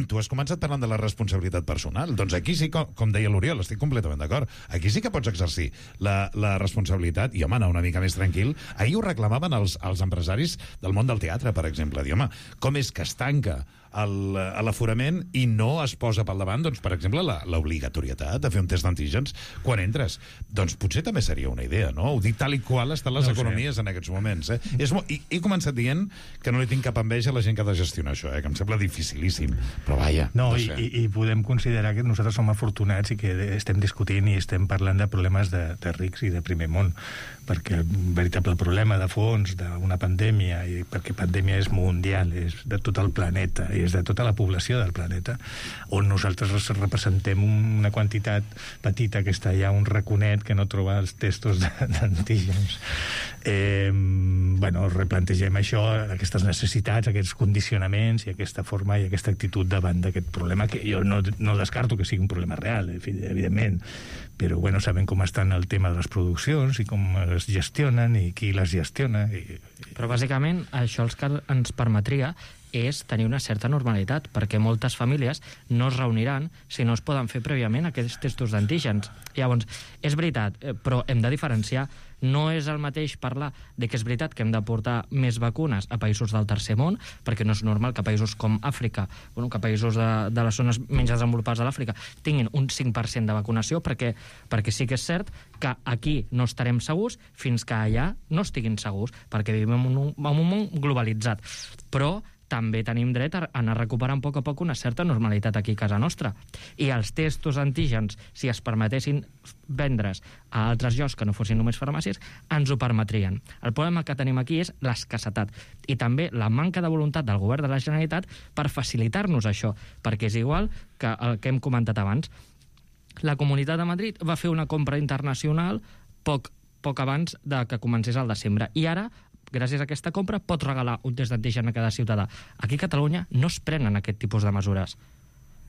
Speaker 17: tu has començat parlant de la responsabilitat personal. Doncs aquí sí, com, com deia l'Oriol, estic completament d'acord. Aquí sí que pots exercir la, la responsabilitat i, home, anar una mica més tranquil. Ahir ho reclamaven els, els empresaris del món del teatre, per exemple. Dir, home, com és que es tanca l'aforament i no es posa pel davant, doncs, per exemple, l'obligatorietat de fer un test d'antígens quan entres. Doncs potser també seria una idea, no? Ho dic tal i qual estan les no economies sé. en aquests moments. Eh? És molt, i, he començat dient que no li tinc cap enveja a la gent que ha de gestionar això, eh? Que em sembla dificilíssim, però vaja.
Speaker 14: No,
Speaker 17: no
Speaker 14: i,
Speaker 17: sé.
Speaker 14: i, i podem considerar que nosaltres som afortunats i que estem discutint i estem parlant de problemes de, de rics i de primer món, perquè el veritable problema de fons d'una pandèmia, i perquè pandèmia és mundial, és de tot el planeta, i és de tota la població del planeta, on nosaltres representem una quantitat petita que està allà, un raconet que no troba els testos d'antígens. Eh, bueno, replantegem això, aquestes necessitats, aquests condicionaments i aquesta forma i aquesta actitud davant d'aquest problema, que jo no, no descarto que sigui un problema real, evidentment, però bueno, sabem com estan el tema de les produccions i com es gestionen i qui les gestiona. I, i...
Speaker 16: Però bàsicament això el que ens permetria és tenir una certa normalitat, perquè moltes famílies no es reuniran si no es poden fer prèviament aquests testos d'antígens. Llavors, és veritat, però hem de diferenciar. No és el mateix parlar de que és veritat que hem de portar més vacunes a països del tercer món, perquè no és normal que països com Àfrica, bueno, que països de, de les zones menys desenvolupades de l'Àfrica tinguin un cinc per cent de vacunació, perquè, perquè sí que és cert que aquí no estarem segurs fins que allà no estiguin segurs, perquè vivim en un, en un món globalitzat. Però també tenim dret a anar recuperant a poc a poc una certa normalitat aquí a casa nostra. I els testos antígens, si es permetessin vendre's a altres llocs que no fossin només farmàcies, ens ho permetrien. El problema que tenim aquí és l'escassetat i també la manca de voluntat del govern de la Generalitat per facilitar-nos això, perquè és igual que el que hem comentat abans. La Comunitat de Madrid va fer una compra internacional poc, poc abans de que comencés el desembre i ara, gràcies a aquesta compra, pot regalar un test d'antigen a cada ciutadà. Aquí a Catalunya no es prenen aquest tipus de mesures.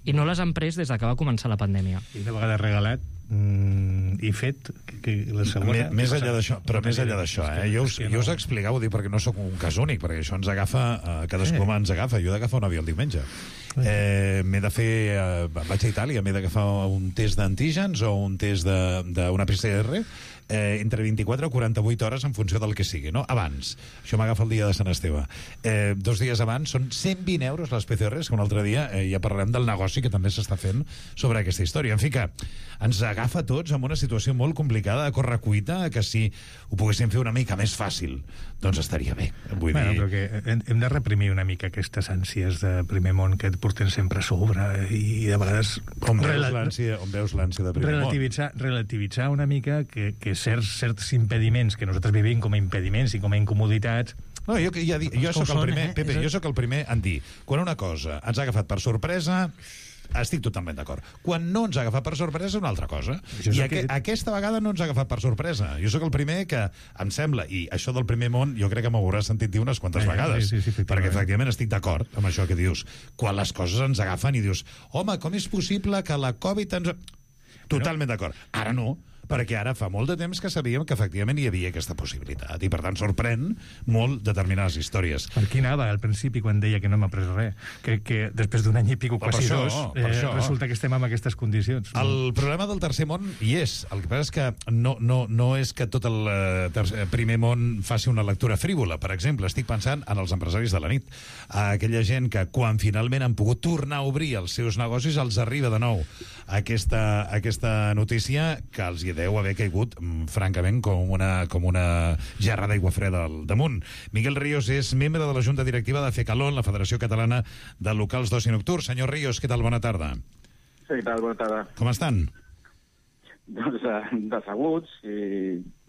Speaker 16: I no les han pres des que va començar la pandèmia.
Speaker 14: I una vegada regalat mm, i fet, que, que la segona...
Speaker 17: M més enllà d'això, però més enllà d'això, eh? Jo us, jo us explicava, dic, perquè no sóc un cas únic, perquè això ens agafa, eh, cadascú ens agafa. Jo he d'agafar un avió el diumenge. Eh, m'he de fer... Eh, vaig a Itàlia, m'he d'agafar un test d'antígens o un test d'una P C R eh, entre vint-i-quatre o quaranta-vuit hores en funció del que sigui, no? Abans. Això m'agafa el dia de Sant Esteve. Eh, dos dies abans són cent vint euros les P C Rs, que un altre dia eh, ja parlarem del negoci que també s'està fent sobre aquesta història. En fi, que ens agafa tots en una situació molt complicada, a correcuita, que si ho poguéssim fer una mica més fàcil, doncs estaria bé. Vull
Speaker 14: bueno,
Speaker 17: dir...
Speaker 14: però que hem de reprimir una mica aquestes ànsies de primer món que et porten sempre a sobre i de vegades...
Speaker 17: On veus l'ànsia de primer
Speaker 14: relativitzar, món? Relativitzar una mica que, que certs, certs impediments que nosaltres vivim com a impediments i com a incomoditats...
Speaker 17: No, jo, ja dic, jo sóc el primer, eh? Pepe, jo sóc el primer en dir, quan una cosa ens ha agafat per sorpresa, estic totalment d'acord. Quan no ens ha agafat per sorpresa és una altra cosa. I aqu que... aquesta vegada no ens ha agafat per sorpresa. Jo sóc el primer que em sembla, i això del primer món jo crec que m'hauràs sentit dir unes quantes eh, vegades, sí, sí, sí, perquè efectivament estic d'acord amb això que dius. Quan les coses ens agafen i dius, home, com és possible que la Covid ens... Totalment d'acord. Ara no, perquè ara fa molt de temps que sabíem que efectivament hi havia aquesta possibilitat, i per tant sorprèn molt determinades històries.
Speaker 14: Per qui anava al principi quan deia que no m'ha pres res? Que, que després d'un any i pico, quasi
Speaker 17: això,
Speaker 14: dos,
Speaker 17: per
Speaker 14: eh,
Speaker 17: això.
Speaker 14: resulta que estem en aquestes condicions.
Speaker 17: El problema del tercer món hi és. El que passa és que no, no, no és que tot el eh, tercer, primer món faci una lectura frívola. Per exemple, estic pensant en els empresaris de la nit. A aquella gent que quan finalment han pogut tornar a obrir els seus negocis els arriba de nou aquesta, aquesta notícia que els hi deu haver caigut mm, francament com una, com una gerra d'aigua freda al damunt. Miguel Ríos és membre de la Junta Directiva de FECALON, la Federació Catalana de Locals d'Oci Nocturn. Senyor Ríos, què tal? Bona tarda.
Speaker 18: Sí, què tal? Bona tarda.
Speaker 17: Com estan?
Speaker 18: Doncs eh, decebuts i,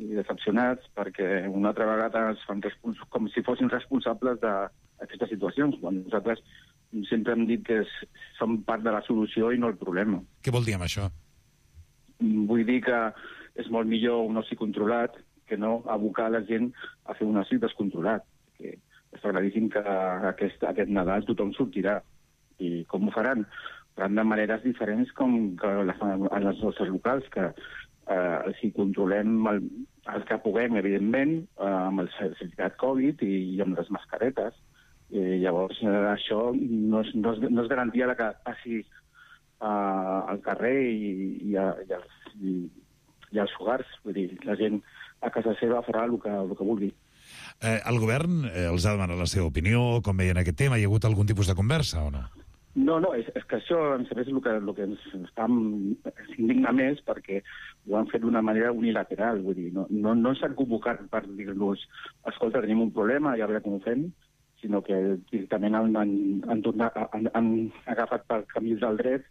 Speaker 18: i decepcionats perquè una altra vegada es fan respons com si fossin responsables d'aquestes situacions, quan nosaltres sempre hem dit que és, som part de la solució i no el problema.
Speaker 17: Què vol dir amb això?
Speaker 18: Vull dir que és molt millor un oci controlat que no abocar la gent a fer un oci descontrolat. Que està claríssim que aquest, aquest Nadal tothom sortirà. I com ho faran? Faran de maneres diferents com que les, en els nostres locals, que eh, si controlem el, el que puguem, evidentment, eh, amb el certificat Covid i, i amb les mascaretes. I llavors, eh, això no és, no, és, no és garantia de que passi eh, al carrer i, i, a, i, als, i, i als fogars. Vull dir, la gent a casa seva farà el que, el que vulgui.
Speaker 17: Eh, el govern eh, els ha demanat la seva opinió, com veien aquest tema? Hi ha hagut algun tipus de conversa o no?
Speaker 18: No, no, és, és que això em sembla el que, el que ens està indigna més perquè ho han fet d'una manera unilateral. Vull dir, no, no, no s'han convocat per dir-nos escolta, tenim un problema, ja veure com ho fem, sinó que directament han, han, han, tornat, han, han agafat pel camí del dret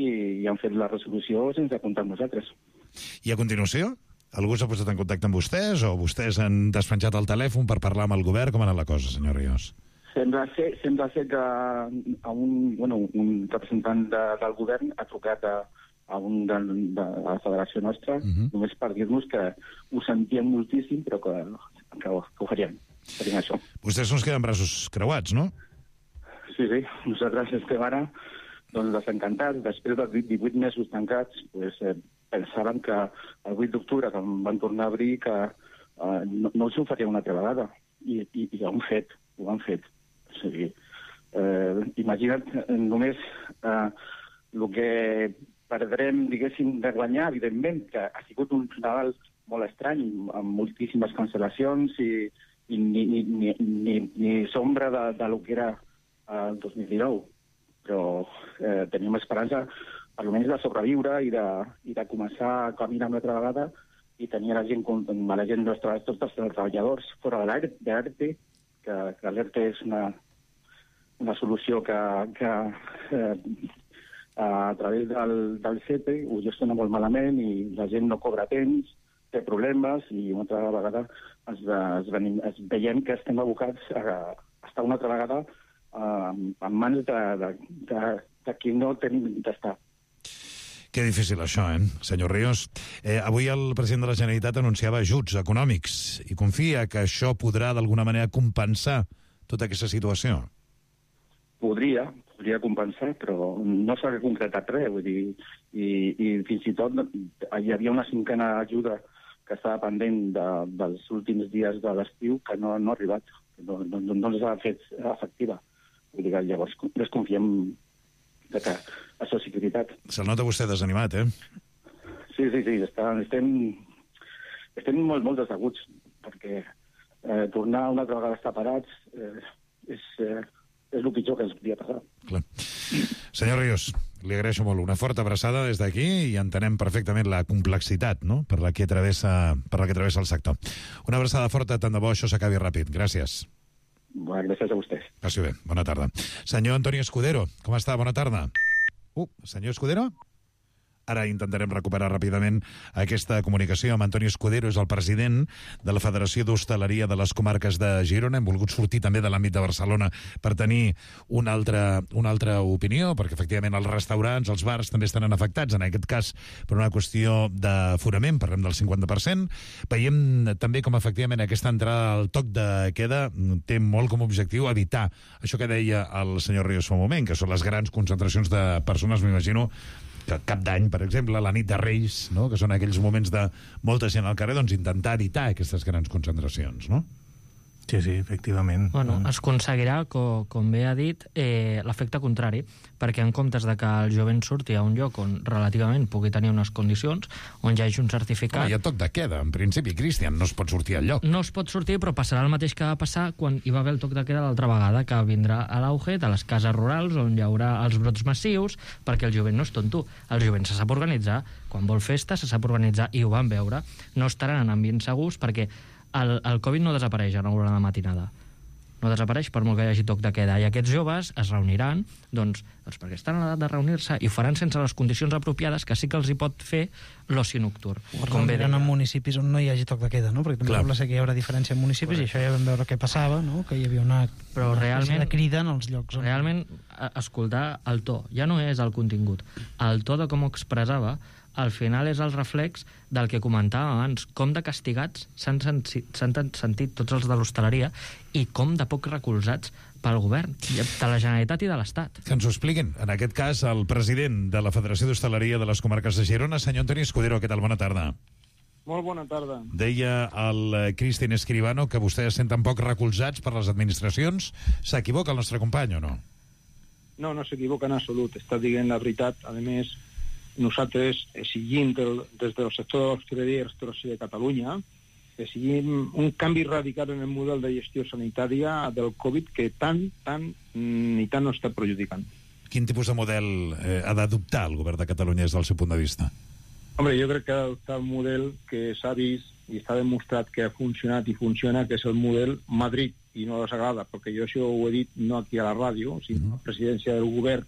Speaker 18: i, i han fet la resolució sense comptar amb nosaltres.
Speaker 17: I a continuació? Algú s'ha posat en contacte amb vostès o vostès han despenjat el telèfon per parlar amb el govern? Com ha anat la cosa, senyor Ríos?
Speaker 18: Sembla ser, sembla ser que a un, bueno, un representant de, del govern ha trucat a, a un de, de la federació nostra, uh -huh. només per dir-nos que ho sentíem moltíssim, però que, que, que ho faríem. faríem això.
Speaker 17: Vostès no es queden braços creuats, no?
Speaker 18: Sí, sí. Nosaltres estem ara doncs, desencantats. Després de divuit mesos tancats, pues, eh, pensaven que el vuit d'octubre, que van tornar a obrir, que eh, no, no s'ho faria una altra vegada. I, i, i ho han fet, ho han fet. O sigui, eh, imagina't només eh, el que perdrem, diguéssim, de guanyar, evidentment, que ha sigut un Nadal molt estrany, amb moltíssimes cancel·lacions i, i ni, ni, ni, ni, ni sombra de, de lo que era el dos mil dinou. Però eh, tenim esperança, almenys, de sobreviure i de, i de començar a caminar una altra vegada i tenir la gent, la gent nostra, tots els treballadors fora de l'A R T, que, que l'E R T és una, una solució que, que eh, a través del, del C E P E ho gestiona molt malament i la gent no cobra temps, té problemes i una altra vegada es, es, venim, es veiem que estem abocats a, a estar una altra vegada uh, en mans de, de, de, de qui no tenim d'estar.
Speaker 17: Que difícil això, eh, senyor Ríos. Eh, avui el president de la Generalitat anunciava ajuts econòmics i confia que això podrà d'alguna manera compensar tota aquesta situació.
Speaker 18: Podria, podria compensar, però no s'ha concretat res, vull dir, i, i fins i tot hi havia una cinquena ajuda que estava pendent de, dels últims dies de l'estiu que no, no ha arribat, no, no, no s'ha fet efectiva. Vull dir que llavors desconfiem de que això és veritat.
Speaker 17: Se'l nota vostè desanimat, eh?
Speaker 18: Sí, sí, sí, està, estem, estem molt, molt desaguts, perquè eh, tornar una altra vegada a estar parats eh, és, eh, és el pitjor que ens podia passar.
Speaker 17: Clar. Senyor Ríos, li agraeixo molt. Una forta abraçada des d'aquí i entenem perfectament la complexitat, no?, per la que travessa, per la que travessa el sector. Una abraçada forta, tant de bo això s'acabi ràpid. Gràcies.
Speaker 18: Bueno, gràcies a vostès.
Speaker 17: Passi bé. Bona tarda. Senyor Antonio Escudero, com està? Bona tarda. Uh, senyor Escudero? Ara intentarem recuperar ràpidament aquesta comunicació amb Antonio Escudero, és el president de la Federació d'Hostaleria de les Comarques de Girona. Hem volgut sortir també de l'àmbit de Barcelona per tenir una altra, una altra opinió, perquè efectivament els restaurants, els bars també estan afectats, en aquest cas per una qüestió d'aforament, parlem del cinquanta per cent. Veiem també com efectivament aquesta entrada al toc de queda té molt com a objectiu evitar això que deia el senyor Ríos fa un moment, que són les grans concentracions de persones, m'imagino, Cap d'Any, per exemple, la nit de Reis, no? Que són aquells moments de molta gent al carrer, doncs intentar evitar aquestes grans concentracions, no?
Speaker 14: Sí, sí, efectivament.
Speaker 16: Bueno, es aconseguirà, com, com bé ha dit, eh, l'efecte contrari, perquè en comptes de que el jovent surti a un lloc on relativament pugui tenir unes condicions, on hi hagi un certificat...
Speaker 17: Home, hi ha toc de queda, en principi, Cristian, no es pot sortir al lloc.
Speaker 16: No es pot sortir, però passarà el mateix que va passar quan hi va haver el toc de queda l'altra vegada, que vindrà a l'auge de les cases rurals, on hi haurà els brots massius, perquè el jovent no és tonto. El jovent se sap organitzar, quan vol festa se sap organitzar, i ho van veure. No estaran en ambients segurs, perquè el, el Covid no desapareix a l'hora de matinada. No desapareix per molt que hi hagi toc de queda. I aquests joves es reuniran, doncs, doncs perquè estan a l'edat de reunir-se, i ho faran sense les condicions apropiades, que sí que els hi pot fer l'oci nocturn.
Speaker 15: O es reuniran en municipis on no hi hagi toc de queda, no? Perquè també sembla ser que hi haurà diferència en municipis, correcte. I això ja vam veure què passava, no? Que hi havia una,
Speaker 16: però
Speaker 15: una
Speaker 16: realment,
Speaker 15: de crida en els llocs. On...
Speaker 16: Realment, escoltar el to, ja no és el contingut. El to de com ho expressava, al final és el reflex del que comentàvem abans, com de castigats s'han sentit, sentit tots els de l'hostaleria i com de poc recolzats pel govern, de la Generalitat i de l'Estat.
Speaker 17: Que ens ho expliquin. En aquest cas, el president de la Federació d'Hostaleria de les Comarques de Girona, senyor Antoni Escudero, què tal? Bona tarda.
Speaker 19: Molt bona tarda.
Speaker 17: Deia el Cristian Escribano que vostès es senten poc recolzats per les administracions. S'equivoca el nostre company o no?
Speaker 19: No, no s'equivoca en absolut. Està dient la veritat. A més, nosaltres exigim del, des del sector de l'hostaleria i restauració de Catalunya, exigim un canvi radical en el model de gestió sanitària del Covid que tant, tant, ni tant no està perjudicant.
Speaker 17: Quin tipus de model eh, ha d'adoptar el govern de Catalunya des del seu punt de vista?
Speaker 19: Hombre, jo crec que ha d'adoptar un model que s'ha vist i està demostrat que ha funcionat i funciona, que és el model Madrid, i no els agrada, perquè jo això ho he dit no aquí a la ràdio, sinó a la presidència del govern,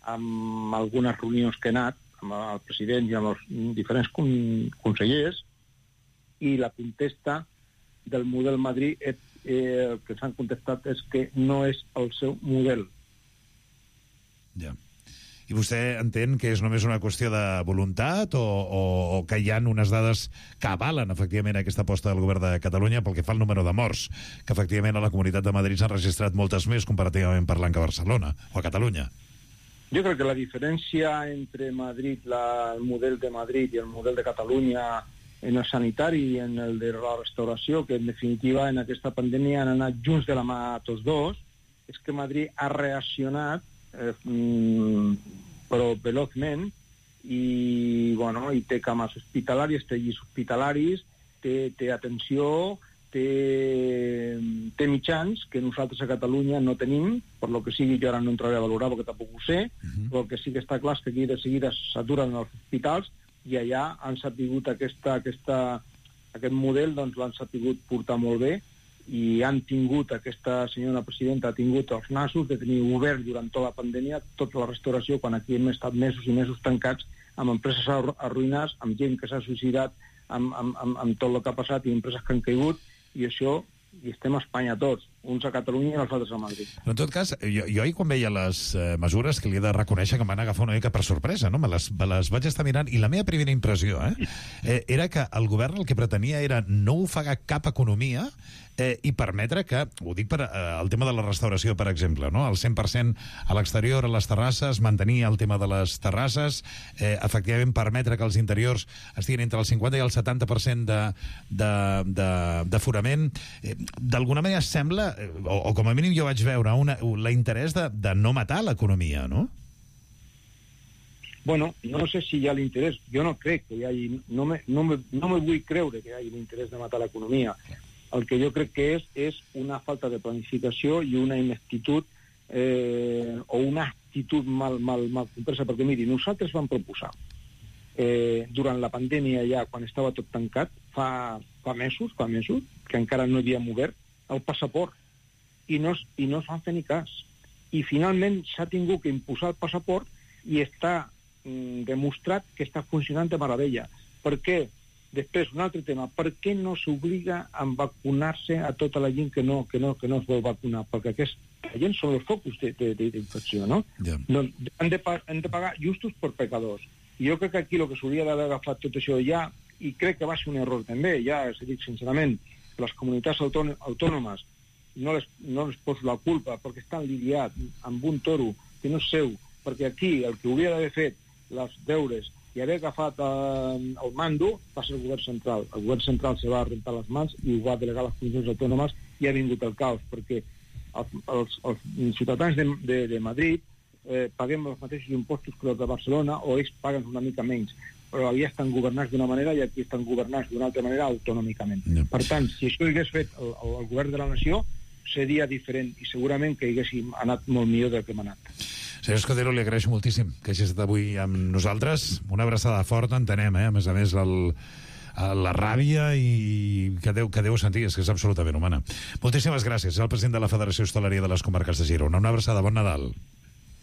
Speaker 19: amb algunes reunions que he anat, amb el president i amb els diferents consellers, i la contesta del model Madrid eh, eh, que s'han contestat és que no és el seu model.
Speaker 17: Ja. I vostè entén que és només una qüestió de voluntat o, o, o que hi ha unes dades que avalen efectivament aquesta aposta del govern de Catalunya pel que fa al número de morts, que efectivament a la Comunitat de Madrid s'han registrat moltes més comparativament parlant que a Barcelona o a Catalunya?
Speaker 19: Jo crec que la diferència entre Madrid, la, el model de Madrid i el model de Catalunya en el sanitari i en el de la restauració, que en definitiva en aquesta pandèmia han anat junts de la mà tots dos, és que Madrid ha reaccionat eh, però velozment i, bueno, i té cames hospitalàries, té llis hospitalaris, té, té atenció, té, té mitjans que nosaltres a Catalunya no tenim, per lo que sigui, jo ara no entraré a valorar perquè tampoc ho sé, uh-huh. Però el que sí que està clar és que aquí de seguida s'aturen els hospitals i allà han sapigut aquesta, aquesta, aquest model, doncs l'han sapigut portar molt bé i han tingut, aquesta senyora presidenta ha tingut els nassos de tenir obert durant tota la pandèmia tota la restauració, quan aquí hem estat mesos i mesos tancats, amb empreses arruïnades, amb gent que s'ha suïcidat, amb, amb, amb, amb tot el que ha passat i empreses que han caigut, i això, i estem a Espanya tots, uns a Catalunya i els altres a Madrid.
Speaker 17: Però en tot cas, jo, jo ahir quan veia les eh, mesures que li he de reconèixer que em van agafar una mica per sorpresa, no? Me les, me les vaig estar mirant i la meva primera impressió eh, eh, era que el govern el que pretenia era no ofegar cap economia eh, i permetre que, ho dic per eh, el tema de la restauració, per exemple, no? El cent per cent a l'exterior, a les terrasses, mantenir el tema de les terrasses, eh, efectivament permetre que els interiors estiguin entre el cinquanta i el setanta per cent d'aforament. Eh, D'alguna manera sembla, eh, o, o com a mínim jo vaig veure, una, l'interès de, de no matar l'economia, no?
Speaker 19: Bueno, no sé si hi ha l'interès. Jo no crec que hi hagi... No me, no me, no me vull creure que hi hagi l'interès de matar l'economia. El que jo crec que és és una falta de planificació i una ineptitud eh, o una actitud mal, mal, mal compresa, perquè miri, nosaltres vam proposar eh, durant la pandèmia ja, quan estava tot tancat, fa, fa mesos, fa mesos, que encara no havíem obert, el passaport, i no, i no es van fer ni cas. I finalment s'ha tingut que imposar el passaport i està mm, demostrat que està funcionant de meravella. Per què? Després, un altre tema, per què no s'obliga a vacunar-se a tota la gent que no, que no, que no es vol vacunar? Perquè aquesta gent són els focus d'infecció, no? Yeah. No han, de, han de pagar justos per pecadors. I jo crec que aquí el que s'hauria d'haver agafat tot això ja, i crec que va ser un error també, ja s'ha dit sincerament, les comunitats autònomes no les, no les poso la culpa perquè estan lidiats amb un toro que no és seu, perquè aquí el que hauria d'haver fet els deures i haver agafat eh, el mando, va ser el govern central. El govern central se va rentar les mans i ho va delegar a les comunitats autònomes i ha vingut el caos, perquè els, els, els ciutadans de, de, de Madrid eh, paguem els mateixos impostos que els de Barcelona, o ells paguen una mica menys, però allà estan governats d'una manera i aquí estan governats d'una altra manera autònomicament. No. Per tant, si això hagués fet el, el, el govern de la nació, seria diferent i segurament que haguéssim anat molt millor del que hem anat.
Speaker 17: Senyor Escudero, li agraeixo moltíssim que hagi estat avui amb nosaltres. Una abraçada forta, entenem, eh? A més a més, el, la ràbia i que deu, que deu sentir, és que és absolutament humana. Moltíssimes gràcies. És el president de la Federació Hostaleria de les Comarques de Girona. Una abraçada, bon Nadal.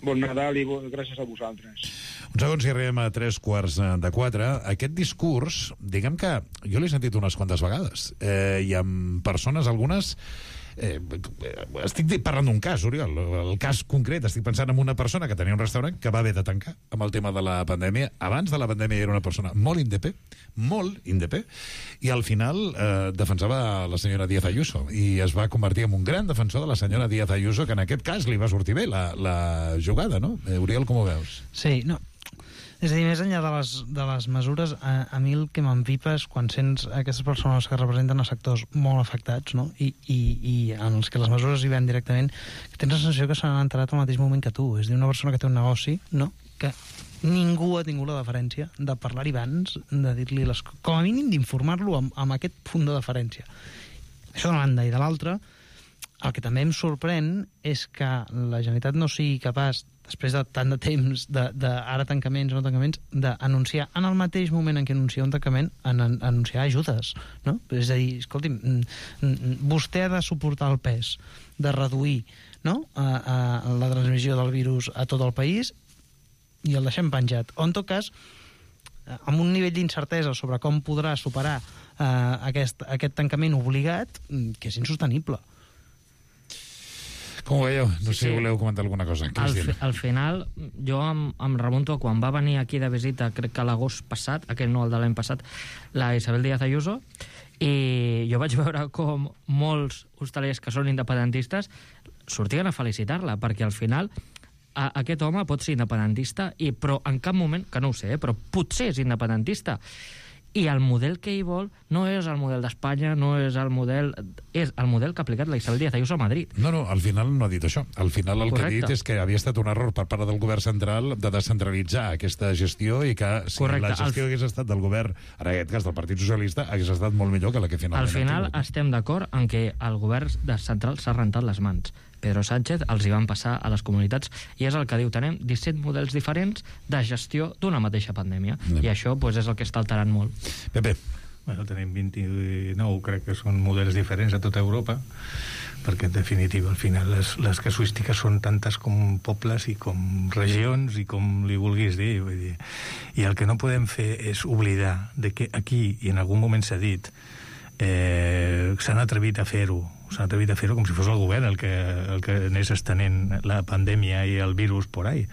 Speaker 19: Bon Nadal i bo, gràcies a vosaltres.
Speaker 17: Un segon, si arribem a tres quarts de quatre. Aquest discurs, diguem que jo l'he sentit unes quantes vegades, eh, i amb persones, algunes... Eh, estic parlant d'un cas, Oriol, el cas concret, estic pensant en una persona que tenia un restaurant que va haver de tancar amb el tema de la pandèmia. Abans de la pandèmia era una persona molt indepè, molt indepè, i al final eh, defensava la senyora Díaz Ayuso i es va convertir en un gran defensor de la senyora Díaz Ayuso, que en aquest cas li va sortir bé la, la jugada, no? Eh, Oriol, com ho veus?
Speaker 15: Sí, no, és a dir, més enllà de les, de les mesures, a, a mi el que m'empipa és quan sents aquestes persones que representen a sectors molt afectats, no? I, i, i en els que les mesures hi ven directament, que tens la sensació que s'han enterat al mateix moment que tu. És a dir, una persona que té un negoci, no? Que ningú ha tingut la deferència de parlar-hi abans, de dir-li les coses, com a mínim d'informar-lo amb, amb aquest punt de deferència. Això d'una banda. I de l'altra, el que també em sorprèn és que la Generalitat no sigui capaç, després de tant de temps, de, de ara tancaments o no tancaments, d'anunciar en el mateix moment en què anuncia un tancament, en, en anunciar ajudes, no? És a dir, escolti'm, vostè ha de suportar el pes de reduir, no?, a, a la transmissió del virus a tot el país i el deixem penjat. O, en tot cas, amb un nivell d'incertesa sobre com podrà superar eh, aquest, aquest tancament obligat, que és insostenible.
Speaker 17: Com ho veieu? No sé
Speaker 16: sí,
Speaker 17: si voleu comentar alguna cosa.
Speaker 16: Al, fi, al final, jo em, em remunto a quan va venir aquí de visita, crec que l'agost passat, aquell no, el de l'any passat, la Isabel Díaz Ayuso, i jo vaig veure com molts hostalers que són independentistes sortien a felicitar-la, perquè al final a, aquest home pot ser independentista, i, però en cap moment, que no ho sé, eh, però potser és independentista. I el model que ell vol no és el model d'Espanya, no és el model... És el model que ha aplicat la Isabel Díaz Ayuso a Madrid.
Speaker 17: No, no, al final no ha dit això. Al final el Correcte. que ha dit és que havia estat un error per part del govern central de descentralitzar aquesta gestió i que si Correcte. la gestió hagués estat del govern, en aquest cas del Partit Socialista, hagués estat molt millor que la que finalment...
Speaker 16: Al final estem d'acord en que el govern central s'ha rentat les mans. Pedro Sánchez els hi van passar a les comunitats i és el que diu, tenem disset models diferents de gestió d'una mateixa pandèmia. No. I això pues, és el que està alterant molt.
Speaker 17: Pepe.
Speaker 14: Bueno, tenim vint-i-nou, crec que són models diferents a tota Europa, perquè en definitiva al final les, les casuístiques són tantes com pobles i com regions i com li vulguis dir, vull dir. I el que no podem fer és oblidar de que aquí, i en algun moment s'ha dit, eh, s'han atrevit a fer-ho, s'han atrevit a fer-ho com si fos el govern el que, el que anés estenent la pandèmia i el virus por ahí.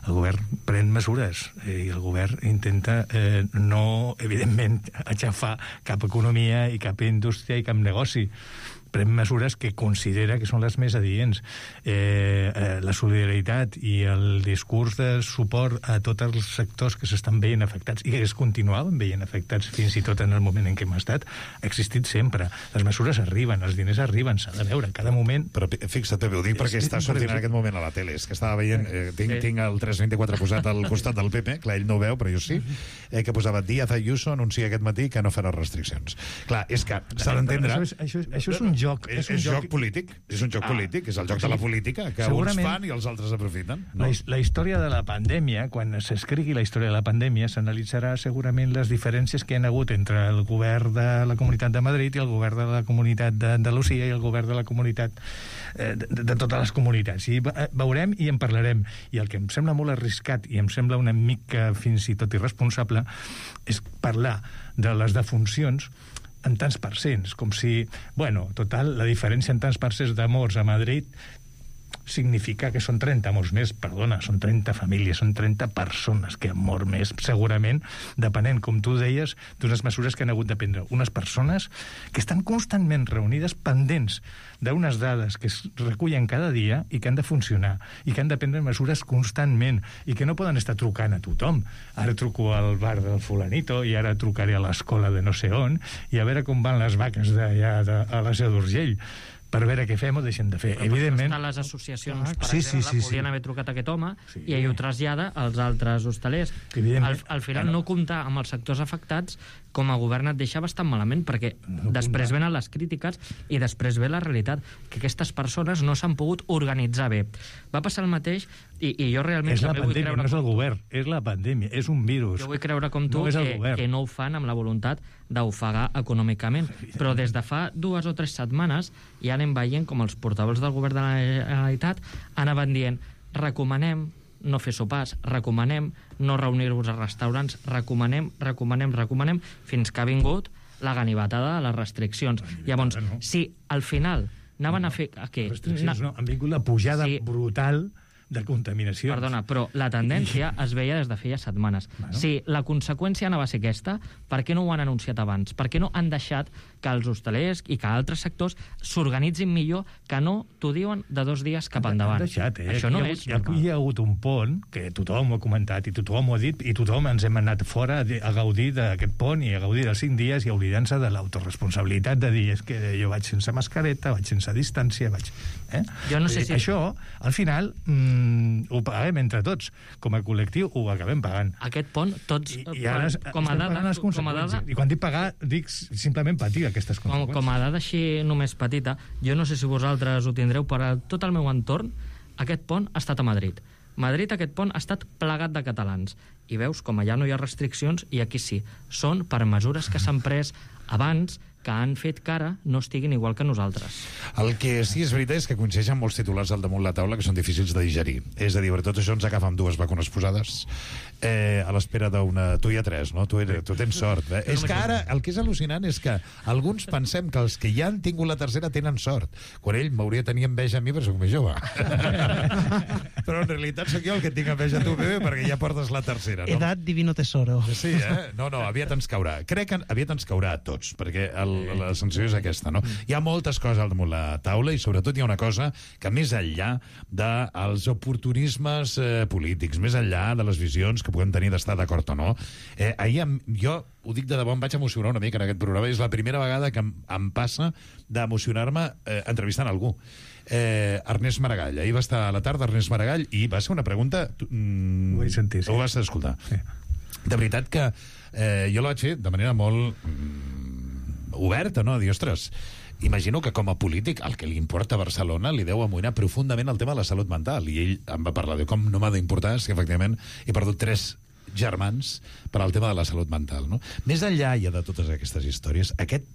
Speaker 14: El govern pren mesures i el govern intenta eh, no, evidentment, aixafar cap economia i cap indústria i cap negoci. Pren mesures que considera que són les més adients. Eh, eh, la solidaritat i el discurs de suport a tots els sectors que s'estan veient afectats i que es continuaven veient afectats fins i tot en el moment en què hem estat, ha existit sempre. Les mesures arriben, els diners arriben, s'ha de veure en cada moment.
Speaker 17: Però fixa't, Pepe, ho dic perquè està sortint en aquest moment a la tele. És que estava veient, eh, tinc, tinc el tres vint-i-quatre posat al costat del Pepe, clar, ell no ho veu, però jo sí, eh, que posava Díaz Ayuso anuncia aquest matí que no farà restriccions. Clar, és que s'ha d'entendre...
Speaker 14: Això, és, això, això és un joc.
Speaker 17: És, és un joc, joc polític. És un joc ah, polític. És el joc sí. de la política, que uns fan i els altres aprofiten. No?
Speaker 14: La, la història de la pandèmia, quan s'escrigui la història de la pandèmia, s'analitzarà segurament les diferències que hi ha hagut entre el govern de la Comunitat de Madrid i el govern de la Comunitat d'Andalusia i el govern de la comunitat eh, de, de totes les comunitats. I veurem i en parlarem. I el que em sembla molt arriscat i em sembla una mica fins i tot irresponsable és parlar de les defuncions en tants percents, com si, bueno, total, la diferència en tants percents de morts a Madrid significa que són trenta morts més, perdona, són trenta famílies, són trenta persones que han mort més, segurament, depenent, com tu deies, d'unes mesures que han hagut de prendre. Unes persones que estan constantment reunides pendents d'unes dades que es recullen cada dia i que han de funcionar, i que han de prendre mesures constantment, i que no poden estar trucant a tothom. Ara truco al bar del fulanito, i ara trucaré a l'escola de no sé on, i a veure com van les vaques d'allà de, a la Seu d'Urgell, per veure què fem o deixem de fer.
Speaker 16: Però
Speaker 14: evidentment...
Speaker 16: les associacions, per
Speaker 14: sí,
Speaker 16: exemple,
Speaker 14: sí, sí,
Speaker 16: podien
Speaker 14: sí.
Speaker 16: haver trucat a aquest home sí. i ell ho trasllada als altres hostalers. Al, al final
Speaker 14: Claro.
Speaker 16: no comptar amb els sectors afectats com a govern et deixa bastant malament, perquè
Speaker 14: No
Speaker 16: després
Speaker 14: comptar.
Speaker 16: venen les crítiques i després ve la realitat, que aquestes persones no s'han pogut organitzar bé. Va passar el mateix i, i jo realment
Speaker 14: És la
Speaker 16: també vull
Speaker 14: pandèmia,
Speaker 16: creure...
Speaker 14: no és el govern, és la pandèmia, és un virus.
Speaker 16: Jo vull creure com tu
Speaker 14: no és el
Speaker 16: que,
Speaker 14: govern.
Speaker 16: que no ho fan amb la voluntat d'ofegar econòmicament. Però des de fa dues o tres setmanes ja anem veient com els portaveus del govern de la Generalitat anaven dient recomanem no fer sopars, recomanem no reunir-vos a restaurants, recomanem, recomanem, recomanem, fins que ha vingut la ganivetada de les restriccions. Llavors,
Speaker 14: no.
Speaker 16: si al final anaven a fer... A què?
Speaker 14: Restriccions, no, han vingut la pujada
Speaker 16: Sí.
Speaker 14: brutal de contaminacions.
Speaker 16: Perdona, però la tendència es veia des de feia setmanes.
Speaker 14: Bueno.
Speaker 16: Si la conseqüència anava a ser aquesta, per què no ho han anunciat abans? Per què no han deixat que els hostalers i que altres sectors s'organitzin millor, que no t'ho diuen de dos dies cap endavant?
Speaker 14: Han deixat, eh?
Speaker 16: Això no
Speaker 14: hi ha,
Speaker 16: és
Speaker 14: hi ha, hi ha hagut un pont que tothom ho ha comentat i tothom ho ha dit i tothom ens hem anat fora a, a gaudir d'aquest pont i a gaudir dels cinc dies i oblidant-se de l'autoresponsabilitat de dir és que jo vaig sense mascareta, vaig sense distància, vaig... Eh?
Speaker 16: Jo no sé si...
Speaker 14: Això, al final, mm, ho paguem entre tots. Com a col·lectiu ho acabem pagant.
Speaker 16: Aquest pont, tots,
Speaker 14: I, i ara
Speaker 16: com a
Speaker 14: estem
Speaker 16: dada,
Speaker 14: pagant les
Speaker 16: com a
Speaker 14: conseqüències.
Speaker 16: dada,
Speaker 14: I quan dic pagar, dic simplement patir aquestes
Speaker 16: com,
Speaker 14: conseqüències.
Speaker 16: com a dada així només petita, jo no sé si vosaltres ho tindreu, però tot el meu entorn, aquest pont ha estat a Madrid. Madrid, aquest pont, ha estat plegat de catalans. I veus com allà no hi ha restriccions i aquí sí. Són per mesures que s'han pres abans, que han fet que ara no estiguin igual que nosaltres.
Speaker 17: El que sí és veritat és que coincideixen molts titulars al damunt la taula que són difícils de digerir. És a dir, per tot això ens agafa amb dues vacunes posades eh, a l'espera d'una... Tu hi ha tres, no? Tu, eres, tu tens sort. Eh? És que ara el que és al·lucinant és que alguns pensem que els que ja han tingut la tercera tenen sort, quan ell m'hauria de tenir enveja a mi perquè soc més jove. Però en realitat sóc jo el que tinc enveja a tu, bebé, perquè ja portes la tercera, no?
Speaker 15: Edat divino tesoro.
Speaker 17: Sí, eh? No, no, aviat ens caurà. Crec que aviat ens caurà a tots, perquè el, la sensació és aquesta, no? Hi ha moltes coses al damunt la taula i sobretot hi ha una cosa que més enllà dels oportunismes eh, polítics, més enllà de les visions que puguem tenir d'estar d'acord o no, eh, ahir em, jo ho dic de debò, em vaig emocionar una mica en aquest programa, és la primera vegada que em, em passa d'emocionar-me eh, entrevistant algú. Eh, Ernest Maragall, ahir va estar a la tarda Ernest Maragall i va ser una pregunta... Mm,
Speaker 14: ho vaig sentir, sí.
Speaker 17: Ho vas escoltar.
Speaker 14: Sí.
Speaker 17: De veritat que eh, jo la vaig fer de manera molt... Mm, oberta, no? Dir, ostres, imagino que com a polític el que li importa a Barcelona li deu amoïnar profundament el tema de la salut mental. I ell em va parlar de com no m'ha d'importar, és que efectivament he perdut tres germans per al tema de la salut mental, no? Més enllà ja de totes aquestes històries, aquest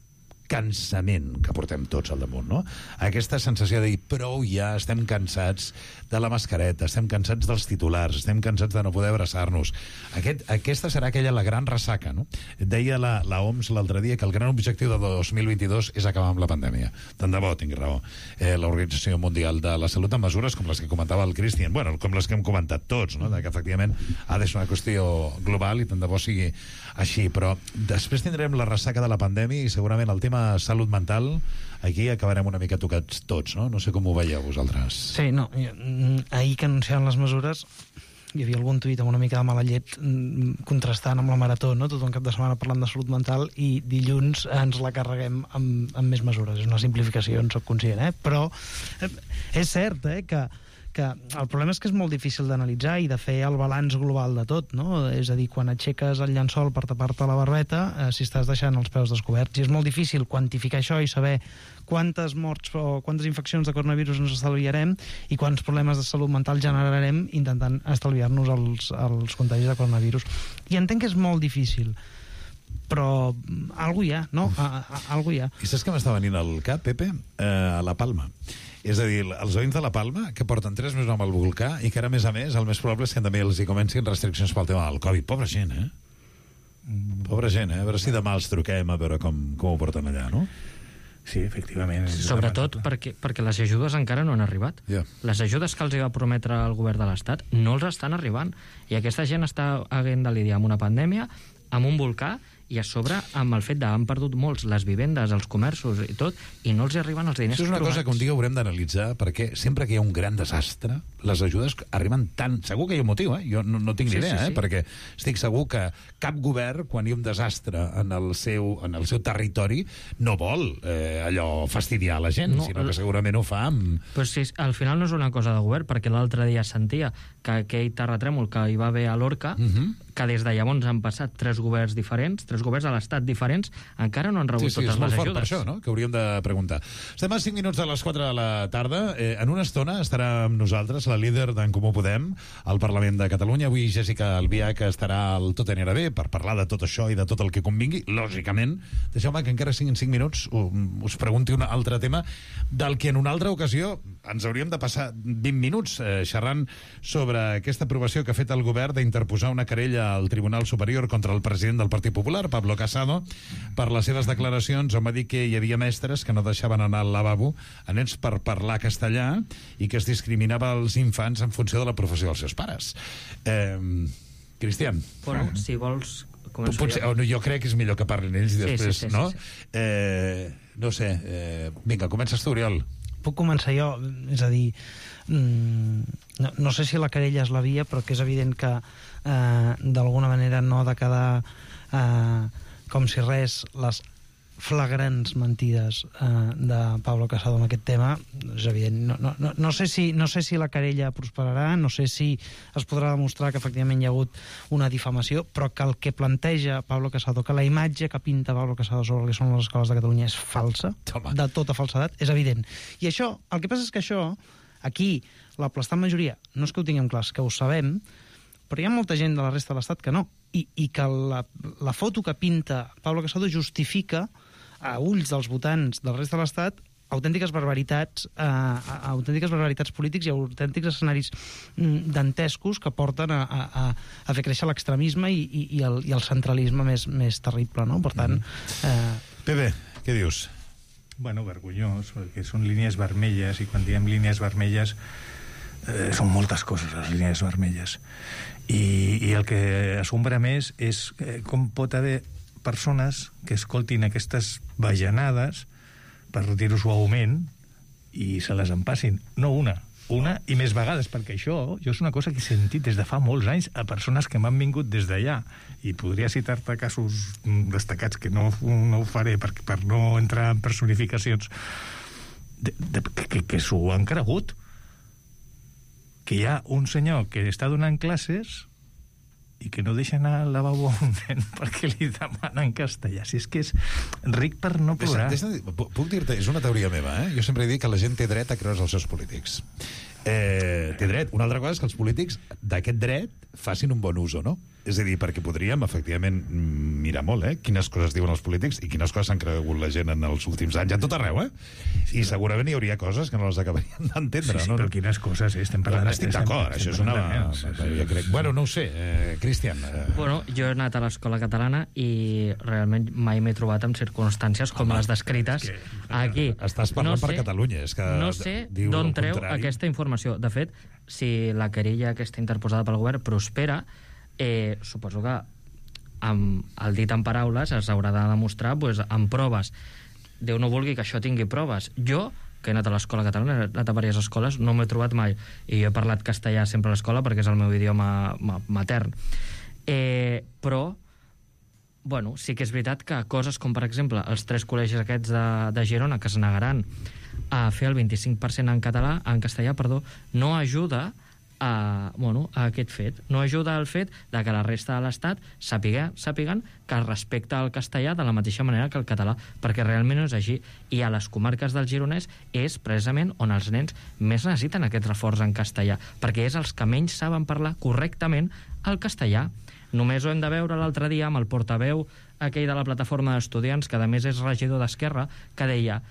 Speaker 17: cansament que portem tots al damunt, no? Aquesta sensació de dir, prou ja, estem cansats de la mascareta, estem cansats dels titulars, estem cansats de no poder abraçar-nos. Aquest, aquesta serà aquella la gran ressaca, no? Deia la, la O M S l'altre dia que el gran objectiu de dos mil vint-i-dos és acabar amb la pandèmia. Tant de bo, tinc raó. Eh, L'Organització Mundial de la Salut amb mesures com les que comentava el Cristian, bueno, com les que hem comentat tots, no? De que efectivament ha de ser una qüestió global i tant de bo sigui així, però després tindrem la ressaca de la pandèmia i segurament el tema salut mental, aquí acabarem una mica tocats tots, no? No sé com ho veieu vosaltres.
Speaker 15: Sí, no, ahir que anunciaven les mesures hi havia algun tuit amb una mica de mala llet contrastant amb la marató, no? Tot un cap de setmana parlant de salut mental i dilluns ens la carreguem amb, amb més mesures. És una simplificació, en soc conscient, eh? Però és cert, eh, que que el problema és que és molt difícil d'analitzar i de fer el balanç global de tot, no? És a dir, quan aixeques el llençol per tapar-te la barbeta, eh, si estàs deixant els peus descoberts. I és molt difícil quantificar això i saber quantes morts o quantes infeccions de coronavirus ens estalviarem i quants problemes de salut mental generarem intentant estalviar-nos els, els contagis de coronavirus. I entenc que és molt difícil, però algú hi ha, no? A, a, algú hi ha.
Speaker 17: I saps que m'està venint al cap, Pepe? Eh, a la Palma. És a dir, els veïns de la Palma, que porten tres mesos amb el volcà i que ara, a més a més, el més probable és que també els hi comencin restriccions pel tema del Covid. Pobra gent, eh? Pobra gent, eh? A veure si demà els truquem a veure com, com ho porten allà, no?
Speaker 14: Sí, efectivament.
Speaker 16: Sobretot perquè, perquè les ajudes encara no han arribat.
Speaker 17: Yeah.
Speaker 16: Les ajudes que els va prometre el govern de l'Estat no els estan arribant. I aquesta gent està havent de lidiar amb una pandèmia, amb un volcà, i a sobre amb el fet d'han perdut molts les vivendes, els comerços i tot, i no els arriben els diners.
Speaker 17: Això és una
Speaker 16: trobats.
Speaker 17: cosa que un dia haurem d'analitzar, perquè sempre que hi ha un gran desastre, les ajudes arriben tant... Segur que hi ha un motiu, eh? Jo no, no tinc ni
Speaker 16: Sí,
Speaker 17: idea,
Speaker 16: sí, sí.
Speaker 17: eh? Perquè estic segur que cap govern, quan hi ha un desastre en el seu, en el seu territori, no vol eh, allò fastidiar la gent,
Speaker 16: No,
Speaker 17: sinó que segurament ho fa amb...
Speaker 16: Però sí, al final no és una cosa de govern, perquè l'altre dia sentia que aquell terratrèmol que hi va haver a Lorca,
Speaker 17: Uh -huh.
Speaker 16: que des de llavors han passat tres governs diferents, tres governs a l'Estat diferents, encara no han rebut
Speaker 17: Sí, sí,
Speaker 16: totes
Speaker 17: és molt
Speaker 16: les
Speaker 17: fort
Speaker 16: ajudes.
Speaker 17: per això, no?, que hauríem de preguntar. Estem a cinc minuts de les quatre de la tarda. Eh, en una estona estarà amb nosaltres la líder d'en Comú Podem al Parlament de Catalunya. Avui Jessica Albiach estarà al Tot anirà bé per parlar de tot això i de tot el que convingui. Lògicament, deixeu-me que encara siguin cinc minuts us pregunti un altre tema del que en una altra ocasió ens hauríem de passar vint minuts eh, xerrant sobre aquesta aprovació que ha fet el govern d'interposar una querella al Tribunal Superior contra el president del Partit Popular, Pablo Casado, per les seves declaracions on va dir que hi havia mestres que no deixaven anar al lavabo a nens per parlar castellà i que es discriminava els infants en funció de la professió dels seus pares. Eh, Cristian.
Speaker 16: Bueno, si vols... començo
Speaker 17: Potser,
Speaker 16: jo.
Speaker 17: oh, no, jo crec que és millor que parlin ells i
Speaker 16: Sí,
Speaker 17: després,
Speaker 16: sí, sí,
Speaker 17: no?
Speaker 16: sí, sí.
Speaker 17: Eh, no sé, eh, vinga, comences tu, Oriol.
Speaker 15: Puc començar jo? És a dir, mm, no, no sé si la querella és la via, però que és evident que eh, d'alguna manera no ha de quedar eh, com si res les flagrants mentides eh, de Pablo Casado en aquest tema. És evident. No, no, no, no, sé si, no sé si la querella prosperarà, no sé si es podrà demostrar que efectivament hi ha hagut una difamació, però que el que planteja Pablo Casado, que la imatge que pinta Pablo Casado sobre el que són les escoles de Catalunya és falsa,
Speaker 17: Toma.
Speaker 15: de tota falsedat, és evident. I això, el que passa és que això, aquí, l'aplastant majoria, no és que ho tinguem clar, és que ho sabem, però hi ha molta gent de la resta de l'Estat que no. I, i que la, la foto que pinta Pablo Casado justifica a ulls dels votants del rest de l'Estat autèntiques barbaritats eh, autèntiques barbaritats polítics i autèntics escenaris mm, dantescos que porten a, a, a fer créixer l'extremisme i, i, i, el, i el centralisme més, més terrible, no? Per tant... Eh...
Speaker 17: Pepe, què dius?
Speaker 14: Bueno, vergonyós, perquè són línies vermelles, i quan diem línies vermelles eh, són moltes coses, les línies vermelles. I, i el que assombra més és eh, com pot haver persones que escoltin aquestes bajanades, per dir-ho suaument, i se les empassin. No una, una i més vegades, perquè això jo és una cosa que he sentit des de fa molts anys a persones que m'han vingut des d'allà, i podria citar-te casos destacats que no, no ho faré per, per no entrar en personificacions de, de, que, que s'ho han cregut, que hi ha un senyor que està donant classes i que no deixa anar al lavabo a un nen perquè li demanen castellà. Si és que és ric per no plorar.
Speaker 17: Deixa, deixa, puc dir-te, és una teoria meva, eh? Jo sempre he dit que la gent té dret a creure's els seus polítics. Eh, té dret. Una altra cosa és que els polítics d'aquest dret facin un bon ús o no. És a dir, perquè podríem, efectivament, mirar molt, eh? Quines coses diuen els polítics i quines coses s'han cregut la gent en els últims anys, a tot arreu, eh? I segurament hi hauria coses que no les acabarien d'entendre,
Speaker 14: sí, sí,
Speaker 17: no?
Speaker 14: però quines coses, eh? Estem parlant...
Speaker 17: Estic d'acord, això és una... Jo crec... Bueno, no ho sé, eh, Cristian. Eh...
Speaker 16: Bueno, jo he anat a l'escola catalana i realment mai m'he trobat en circumstàncies com Home, les descrites
Speaker 17: que,
Speaker 16: aquí.
Speaker 17: Estàs parlant
Speaker 16: no
Speaker 17: per
Speaker 16: sé,
Speaker 17: Catalunya, és que...
Speaker 16: No sé d'on treu aquesta informació. De fet, si la querella aquesta interposada pel govern prospera, eh, suposo que amb el dit en paraules es haurà de demostrar pues, amb proves. Déu no vulgui que això tingui proves. Jo, que he anat a l'escola catalana, he anat a diverses escoles, no m'he trobat mai. I jo he parlat castellà sempre a l'escola perquè és el meu idioma matern. Eh, però, bueno, sí que és veritat que coses com, per exemple, els tres col·legis aquests de, de Girona que es negaran a fer el vint-i-cinc per cent en català, en castellà, perdó, no ajuda a, bueno, a aquest fet. No ajuda al fet de que la resta de l'Estat sàpiga, sàpiguen que es respecta el castellà de la mateixa manera que el català, perquè realment no és així. I a les comarques del Gironès és precisament on els nens més necessiten aquest reforç en castellà, perquè és els que menys saben parlar correctament el castellà. Només ho hem de veure l'altre dia amb el portaveu aquell de la plataforma d'estudiants, que a més és regidor d'Esquerra, que deia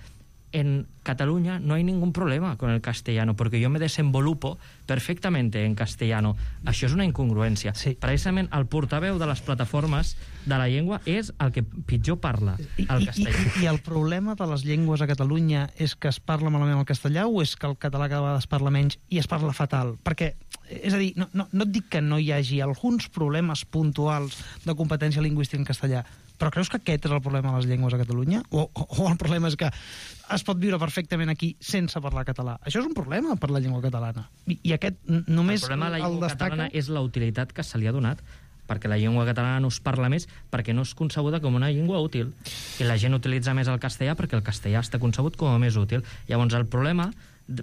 Speaker 16: en Cataluña no hay ningún problema con el castellano, porque yo me desenvolupo perfectamente en castellano. Això és una incongruència. Sí. Precisament el portaveu de les plataformes de la llengua és el que pitjor parla el castellà.
Speaker 15: I, i, I el problema de les llengües a Catalunya és que es parla malament el castellà o és que el català cada vegada es parla menys i es parla fatal? Perquè, és a dir, no, no, no et dic que no hi hagi alguns problemes puntuals de competència lingüística en castellà, però creus que aquest és el problema de les llengües a Catalunya? O, o, o el problema és que es pot viure perfectament aquí sense parlar català? Això és un problema per la llengua catalana. I, i aquest només
Speaker 16: el problema de la llengua
Speaker 15: el destaca...
Speaker 16: catalana és la utilitat que se li ha donat, perquè la llengua catalana no es parla més perquè no és concebuda com una llengua útil. I la gent utilitza més el castellà perquè el castellà està concebut com a més útil. Llavors, el problema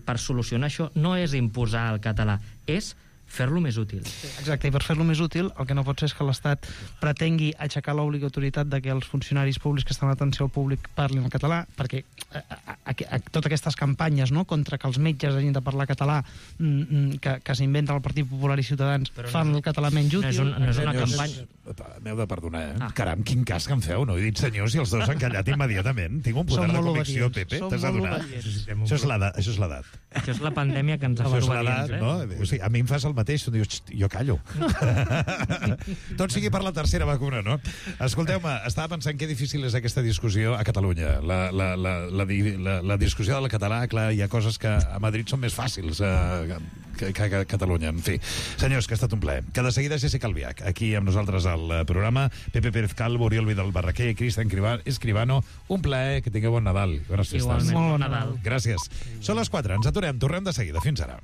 Speaker 16: per solucionar això no és imposar el català, és fer-lo més útil.
Speaker 15: Exacte, i per fer-lo més útil el que no pot ser és que l'Estat pretengui aixecar l'obligatorietat de que els funcionaris públics que estan a l'atenció al públic parlin el català, perquè a, a, a, a, totes aquestes campanyes, no?, contra que els metges hagin de parlar català mm, que, que s'inventen el Partit Popular i Ciutadans però fan no, el català menys útil.
Speaker 16: No és, un, no és una
Speaker 17: senyors,
Speaker 16: campanya...
Speaker 17: M'heu de perdonar, eh? Ah. Caram, quin cas que em feu, no? He dit senyors i els dos han callat immediatament. Tinc un poder de convicció, Pepe, t'has adonat? Això és l'edat. Això és l'edat.
Speaker 16: Això és la pandèmia que ens ha fet obedients, eh?
Speaker 17: No? O sigui, a mi em fas el mateix, tu dius, jo callo. Tot sigui per la tercera vacuna, no? Escolteu-me, estava pensant que difícil és aquesta discussió a Catalunya. La, la, la, la, la, la discussió del català, clar, hi ha coses que a Madrid són més fàcils eh, que, que a Catalunya. En fi, senyors, que ha estat un plaer. Que de seguida Jessica Albiach, aquí amb nosaltres al programa, Pepe Pérez Calvo, Oriol Vidal Barraquer, Cristian Escribano, un plaer, que tingueu bon Nadal. Bones festes.
Speaker 16: Igualment, bon Nadal.
Speaker 17: Gràcies. Són les quatre, ens aturem, tornem de seguida. Fins ara.